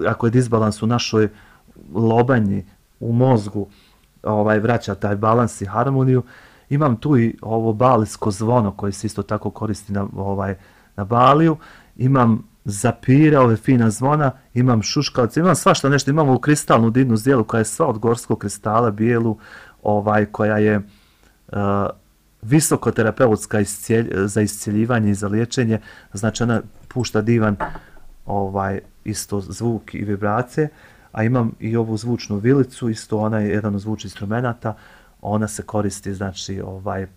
ako je disbalans u našoj lobanji u mozgu ovaj, vraća taj balans i harmoniju. Imam tu i ovo balijsko zvono koje se isto tako koristi na, ovaj, na Baliju. Imam zapire, ove fina zvona, imam šuškavce, imam svašta nešto, imam ovu kristalnu divnu zdjelu koja je sva od gorskog kristala, bijelu, ovaj, koja je uh, visokoterapeutska iscijelj, za iscjeljivanje i za liječenje, znači ona pušta divan ovaj, isto zvuk i vibracije, a imam i ovu zvučnu vilicu, isto ona je jedan od zvučnih instrumenata, ona se koristi, znači, ovaj, uh,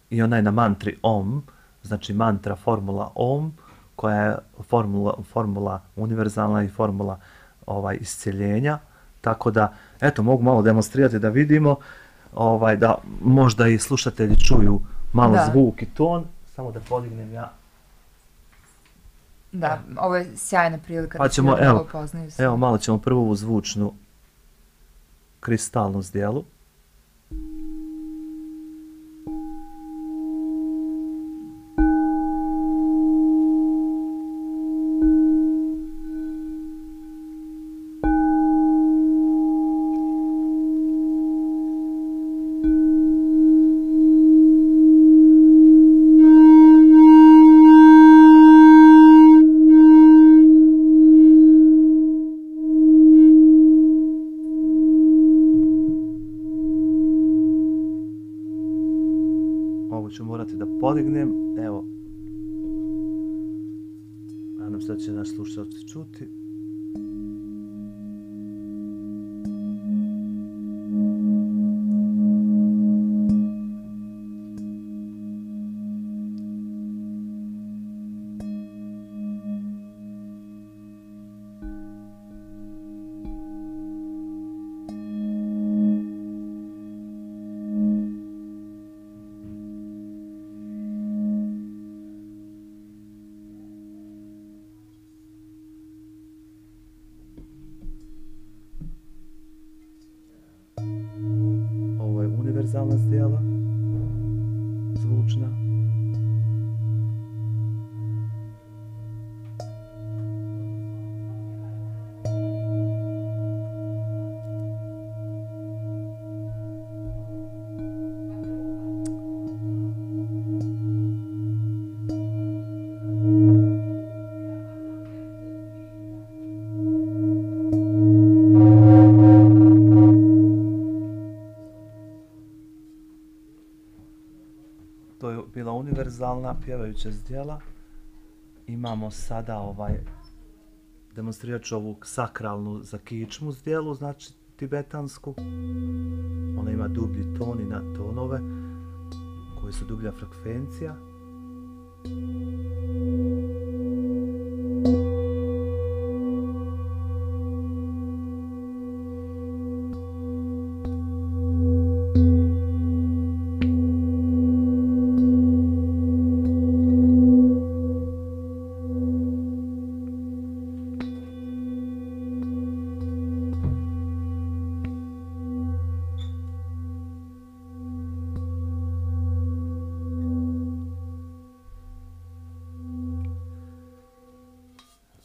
i ona je na mantri Om, znači mantra formula Om, koja je formula, formula univerzalna i formula ovaj, iscjeljenja, tako da, eto, mogu malo demonstrirati da vidimo, ovaj, da možda i slušatelji čuju malo da. Zvuk i ton, samo da podignem ja. Da, ovo je sjajna prilika pa da ćemo, se evo, ovo poznaju. Evo, malo ćemo prvo ovu zvučnu kristalnu zdjelu. Ću morati da podignem, evo, nadam se da će naš slušatelj čuti. Univerzalna zdjela, zvučna. To je bila univerzalna pjevajuća zdjela. Imamo sada ovaj, demonstrirat ću ovu sakralnu za kičmu zdjelu, znači tibetansku. Ona ima dublji ton i nadtonove koji su dublja frekvencija.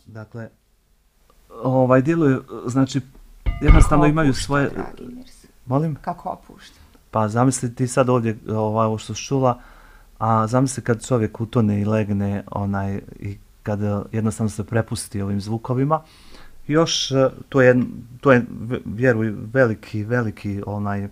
Dakle, ovaj djeluju, znači, jednostavno kako imaju opušta, svoje... Dragi Mirza? Molim? Kako opušta? Pa zamisli ti sad ovdje ovaj, ovo što si čula, a zamisli kad čovjek utone i legne onaj, i kad jednostavno se prepusti ovim zvukovima. Još to je, to je vjeruj, veliki, veliki onaj,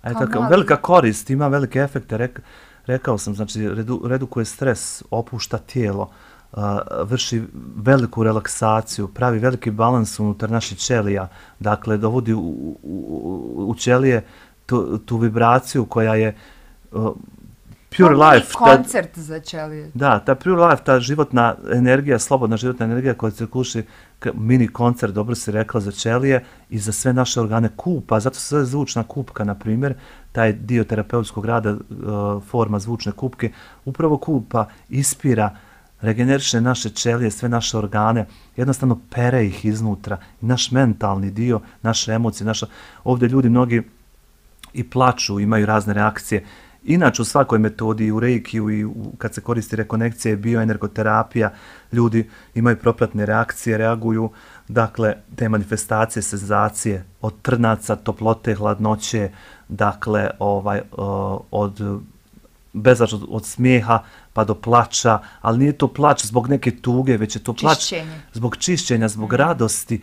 aj, tako, velika korist, ima velike efekte, Rek, rekao sam, znači redu, redukuje stres, opušta tijelo, uh, vrši veliku relaksaciju, pravi veliki balans unutar naših ćelija, dakle dovodi u, u, u ćelije tu, tu vibraciju koja je uh, pure to life. Koncert ta, za ćelije. Da, ta pure life, ta životna energija, slobodna životna energija koja se kuši, mini koncert, dobro si rekla, za ćelije i za sve naše organe kupa, zato se zove zvučna kupka, na primjer, taj dio terapeutskog rada, uh, forma zvučne kupke, upravo kupa, ispira, regeneriše naše ćelije, sve naše organe, jednostavno pere ih iznutra, i naš mentalni dio, naše emocije, naša, ovdje ljudi mnogi i plaču, imaju razne reakcije. Inače u svakoj metodi, u reikiju i u, kad se koristi rekonekcija i bioenergoterapija, ljudi imaju propratne reakcije, reaguju, dakle, te manifestacije, senzacije, od trnaca, toplote, hladnoće, dakle, ovaj, od bezačno od smijeha pa do plača, ali nije to plač zbog neke tuge, već je to plač Čišćenje. zbog čišćenja, zbog radosti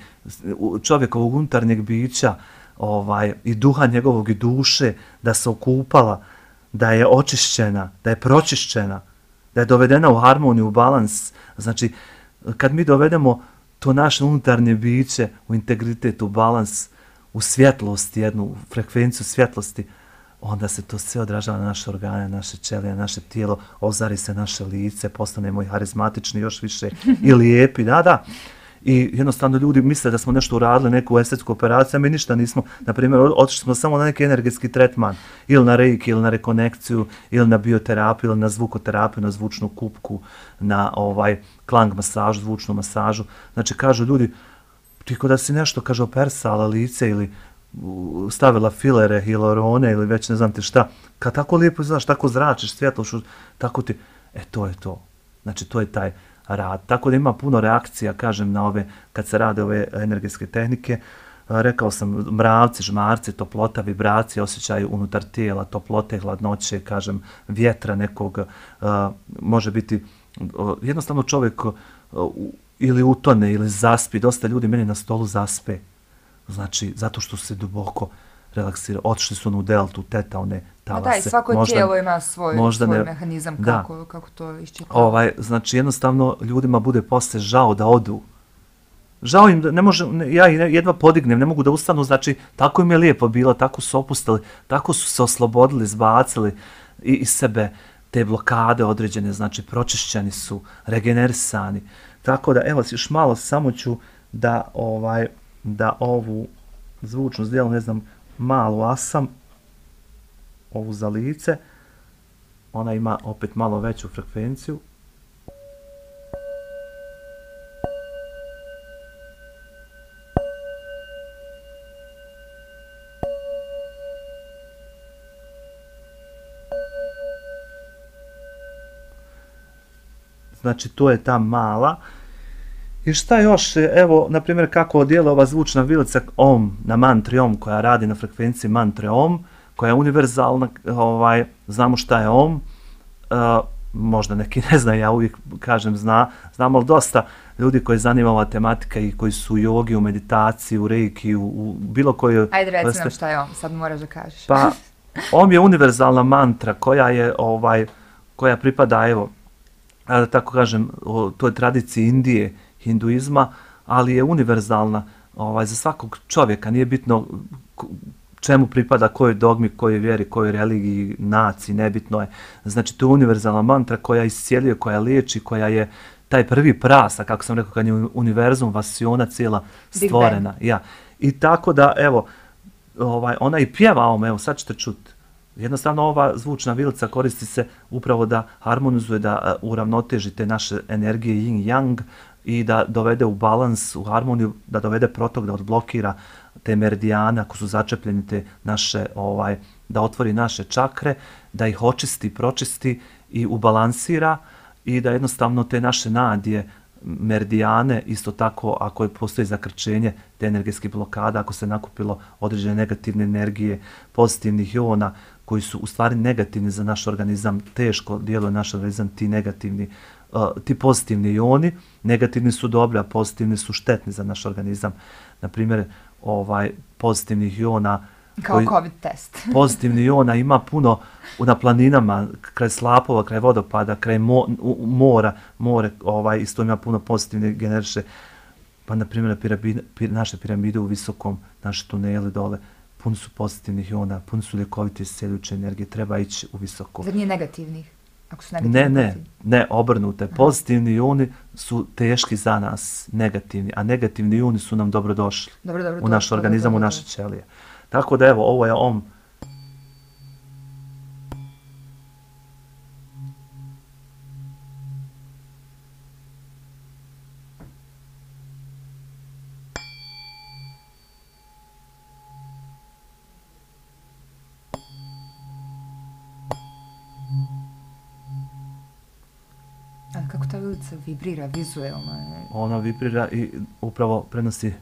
čovjekovog unutarnjeg bića, ovaj, i duha njegovog i duše, da se okupala, da je očišćena, da je pročišćena, da je dovedena u harmoniju, u balans. Znači, kad mi dovedemo to naše unutarnje biće u integritet, u balans, u svjetlost, jednu u frekvenciju svjetlosti, onda se to sve odražava na naše organe, naše ćelije, naše tijelo, ozari se naše lice, postanemo i harizmatični još više i lijepi, da, da. I jednostavno ljudi misle da smo nešto uradili, neku estetsku operaciju, a mi ništa nismo. Naprimjer, otišli smo samo na neki energetski tretman, ili na reiki, ili na rekonekciju, ili na bioterapiju, ili na zvukoterapiju, na zvučnu kupku, na ovaj klang masažu, zvučnu masažu. Znači, kažu ljudi, ti ko da si nešto, kaže, opersala lice ili stavila filere, hilarone ili već ne znam ti šta, kad tako lijepo izgledaš, tako zračiš, svjetlo, tako ti, e to je to. Znači, to je taj rad. Tako da ima puno reakcija, kažem, na ove, kad se rade ove energetske tehnike. Rekao sam, mravci, žmarci, toplota, vibracije, osjećaj unutar tijela, toplote, hladnoće, kažem, vjetra nekog, uh, može biti, uh, jednostavno čovjek uh, ili utone ili zaspi, dosta ljudi meni na stolu zaspe. Znači, zato što se duboko relaksira. Otišli su u deltu, teta, one talase. Ma da, i svako možda, tijelo ima svoj, svoj ne, mehanizam kako, da, kako to iščitava. Ovaj, znači, jednostavno, ljudima bude posle žao da odu. Žao im da ne može, ne, ja jedva podignem, ne mogu da ustanu, znači, tako im je lijepo bilo, tako su opustili, tako su se oslobodili, zbacili i, iz sebe te blokade određene, znači, pročišćeni su, regenerisani. Tako da, evo, još malo samo ću da, ovaj, da ovu zvučnu zdjelu, ne znam, malu asam, ovu za lice, ona ima opet malo veću frekvenciju. Znači, to je ta mala. I šta još, evo, na primjer, kako djeluje ova zvučna vilica Om, na mantri Om, koja radi na frekvenciji mantre Om, koja je univerzalna, ovaj, znamo šta je Om, uh, možda neki ne zna, ja uvijek kažem zna, znam, ali dosta ljudi koji zanima ova tematika i koji su u jogi, u meditaciji, u reiki, u, u bilo kojoj... Ajde, reci nam šta je Om, sad moraš da kažeš. Pa, Om je univerzalna mantra koja je, ovaj, koja pripada, evo, da tako kažem, o toj tradiciji Indije, hinduizma, ali je univerzalna, ovaj, za svakog čovjeka, nije bitno čemu pripada, kojoj dogmi, kojoj vjeri, kojoj religiji, naciji, nebitno je. Znači, to je univerzalna mantra koja iscijeljuje, koja liječi, koja je taj prvi prasa, kako sam rekao, kad je univerzum, vasiona cijela stvorena. Ja. I tako da, evo, ovaj, ona i pjeva Om, evo, sad ćete čuti. Jednostavno, ova zvučna vilica koristi se upravo da harmonizuje, da uravnoteži te naše energije yin-yang i da dovede u balans, u harmoniju, da dovede protok, da odblokira te meridijane, ako su začepljeni te naše, ovaj, da otvori naše čakre, da ih očisti, pročisti i ubalansira i da jednostavno te naše nadije, meridijane, isto tako ako je postoji zakrčenje te energetske blokade, ako se nakupilo određene negativne energije, pozitivnih iona, koji su u stvari negativni za naš organizam, teško djeluje naš organizam, ti negativni, uh, ti pozitivni ioni, negativni su dobri, a pozitivni su štetni za naš organizam. Naprimjer, ovaj, pozitivnih iona, kao koji, COVID test. pozitivni iona ima puno na planinama, kraj slapova, kraj vodopada, kraj mo, u, mora, more, ovaj, isto ima puno pozitivne generiše. Pa, na primjer, piramide, pir, naše piramide u visokom, naše tunele dole, puno su pozitivnih iona, puno su ljekovite isceljujuće energije, treba ići u visoko. Zar nije negativnih? Ako su negativni, ne, ne, ne, obrnute. Aha. Pozitivni ioni su teški za nas, negativni, a negativni ioni su nam dobrodošli dobro, dobro, u naš dobro, organizam, dobro, u naše ćelije. Tako da, evo, ovo je Om. ta vilica vibrira vizuelno. Ona vibrira i upravo prenosi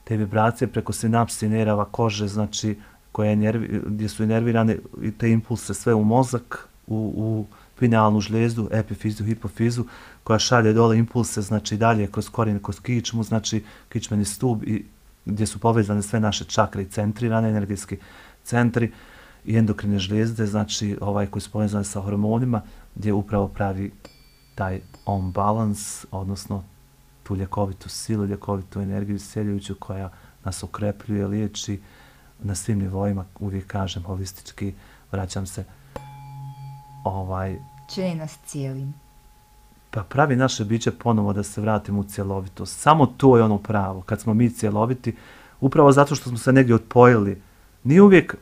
te vibracije preko sinapsi nerava kože, znači koje nervi, gdje su inervirane i te impulse sve u mozak, u, u pinealnu žlijezdu, epifizu, hipofizu, koja šalje dole impulse, znači dalje kroz korijen, kroz kičmu, znači kičmeni stub i gdje su povezane sve naše čakre i centrirane, energetski centri i endokrine žlijezde, znači ovaj koji su povezane sa hormonima, gdje upravo pravi taj on balans, odnosno tu ljekovitu silu, ljekovitu energiju isceljujuću koja nas okrepljuje, liječi na svim nivoima, uvijek kažem, holistički, vraćam se, ovaj... Čini nas cijelim. Pa pravi naše biće ponovo da se vratimo u cjelovitost. Samo to je ono pravo, kad smo mi cjeloviti, upravo zato što smo se negdje odpojili. Nije uvijek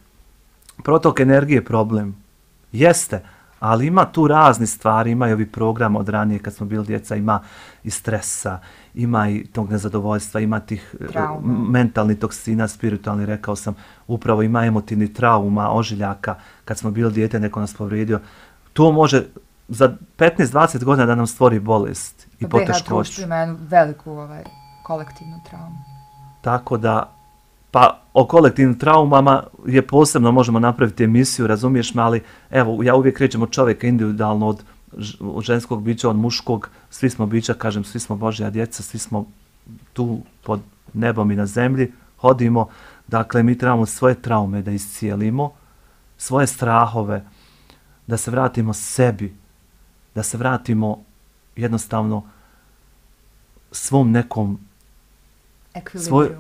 protok energije problem. Jeste, ali ima tu razni stvari, ima i ovi program od ranije kad smo bili djeca, ima i stresa, ima i tog nezadovoljstva, ima tih trauma, mentalnih toksina, spiritualni, rekao sam, upravo ima emotivnih trauma, ožiljaka, kad smo bili dijete, neko nas povrijedio. To može za petnaest dvadeset godina da nam stvori bolest i poteškoću. B H društvo ima jednu veliku ovaj, kolektivnu traumu. Tako da, pa o kolektivnim traumama je posebno, možemo napraviti emisiju, razumiješ me, ali evo, ja uvijek krećem od čovjeka individualno, od, od ženskog bića, od muškog, svi smo bića, kažem, svi smo Božja djeca, svi smo tu pod nebom i na zemlji, hodimo, dakle, mi trebamo svoje traume da iscijelimo, svoje strahove, da se vratimo sebi, da se vratimo jednostavno svom nekom svoj,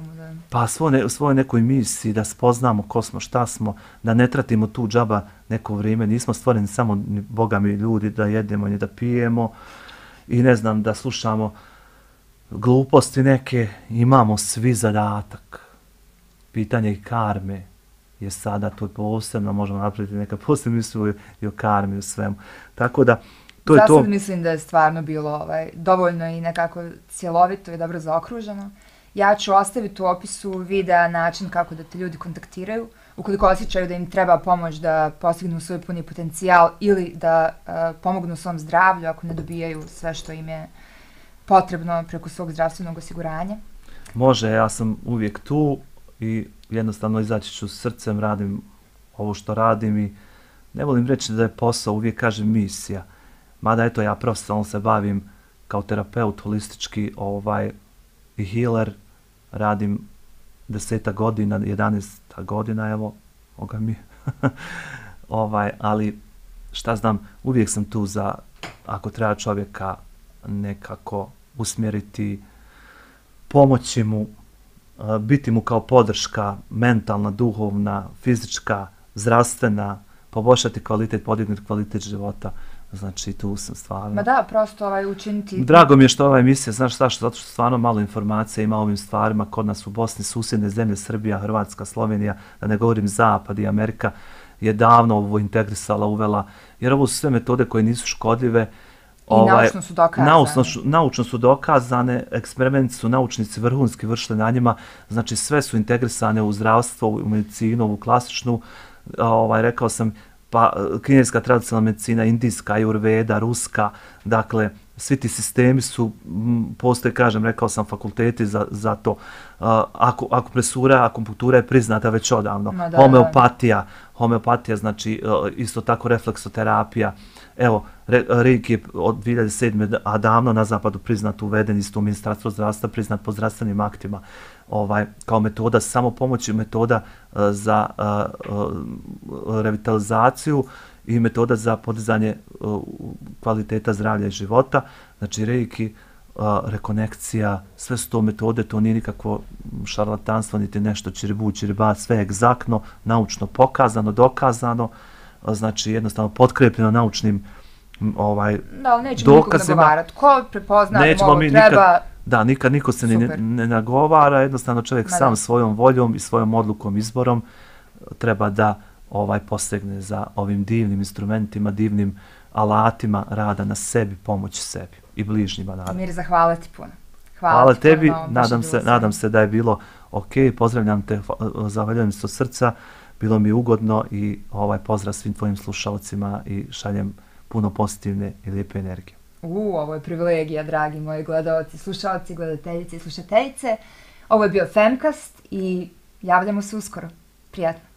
pa svoj, ne, svoj nekoj misiji, da spoznamo ko smo, šta smo, da ne tratimo tu džaba neko vrijeme, nismo stvoreni samo ni Boga mi ljudi da jedemo ni da pijemo i ne znam da slušamo gluposti neke, imamo svi zadatak. Pitanje i karme je sada to posebno, možemo napraviti neka posebna misla i o karmi i o svemu. Tako da, to je to. Zasad mislim da je stvarno bilo ovaj, dovoljno i nekako cjelovito i dobro zaokruženo. Ja ću ostaviti u opisu videa način kako da te ljudi kontaktiraju, ukoliko osjećaju da im treba pomoć da postignu svoj puni potencijal ili da uh, pomognu svom zdravlju ako ne dobijaju sve što im je potrebno preko svog zdravstvenog osiguranja. Može, ja sam uvijek tu i jednostavno izaći ću srcem, radim ovo što radim i ne volim reći da je posao, uvijek kažem misija. Mada eto ja profesionalno se bavim kao terapeut holistički ovaj, i healer, radim deseta godina, jedanaesta godina, evo, oga mi, ovaj, ali šta znam, uvijek sam tu za, ako treba čovjeka nekako usmjeriti, pomoći mu, biti mu kao podrška, mentalna, duhovna, fizička, zdravstvena, poboljšati kvalitet, podignuti kvalitet života. Znači, tu sam stvarno... Ma da, prosto ovaj, učiniti... Drago mi je što ova emisija, znaš zašto? Zato što stvarno malo informacija ima o ovim stvarima kod nas u Bosni, susjedne zemlje, Srbija, Hrvatska, Slovenija, da ne govorim Zapad i Amerika, je davno ovo integrisala, uvela, jer ovo su sve metode koje nisu škodljive. I ovaj, naučno su dokazane. Naučno, naučno su dokazane, eksperimenti su naučnici vrhunski vršili na njima, znači sve su integrisane u zdravstvo, u medicinu, u klasičnu, ovaj, rekao sam, pa kineska tradicionalna medicina, indijska, ajurveda, ruska, dakle, svi ti sistemi su, postoje, kažem, rekao sam, fakulteti za, za to. Uh, ako, akupresura, akupunktura je priznata već odavno. Da, homeopatija, homeopatija, znači uh, isto tako refleksoterapija. Evo, re, Reiki je od dvije hiljade sedme. a davno na zapadu priznat, uveden isto u ministarstvo zdravstva, priznat po zdravstvenim aktima. Ovaj, kao metoda samopomoći, metoda uh, za uh, uh, revitalizaciju i metoda za podizanje uh, kvaliteta zdravlja i života. Znači, Reiki, uh, rekonekcija, sve su to metode, to nije nikakvo šarlatanstvo, niti nešto čiribu, čiriba, sve je egzaktno, naučno pokazano, dokazano, uh, znači jednostavno potkrepljeno naučnim ovaj, da, ali nećemo dokazima. Nikog nagovarati. Ko prepozna da ovo treba... Nikad, da, nikad niko se ne, ne nagovara, jednostavno čovjek Ma sam da. svojom voljom i svojom odlukom, izborom treba da ovaj posegne za ovim divnim instrumentima, divnim alatima rada na sebi, pomoći sebi i bližnjima. Naravno. Mir, zahvala ti puno. Hvala, Hvala ti tebi, puno, nadam se, nadam se da je bilo ok, pozdravljam te, zahvaljujem se od srca, bilo mi ugodno i ovaj pozdrav svim tvojim slušalcima i šaljem puno pozitivne i lijepe energije. U, ovo je privilegija, dragi moji gledalci, slušalci, gledateljice i slušateljice. Ovo je bio Femcast i javljamo se uskoro. Prijatno.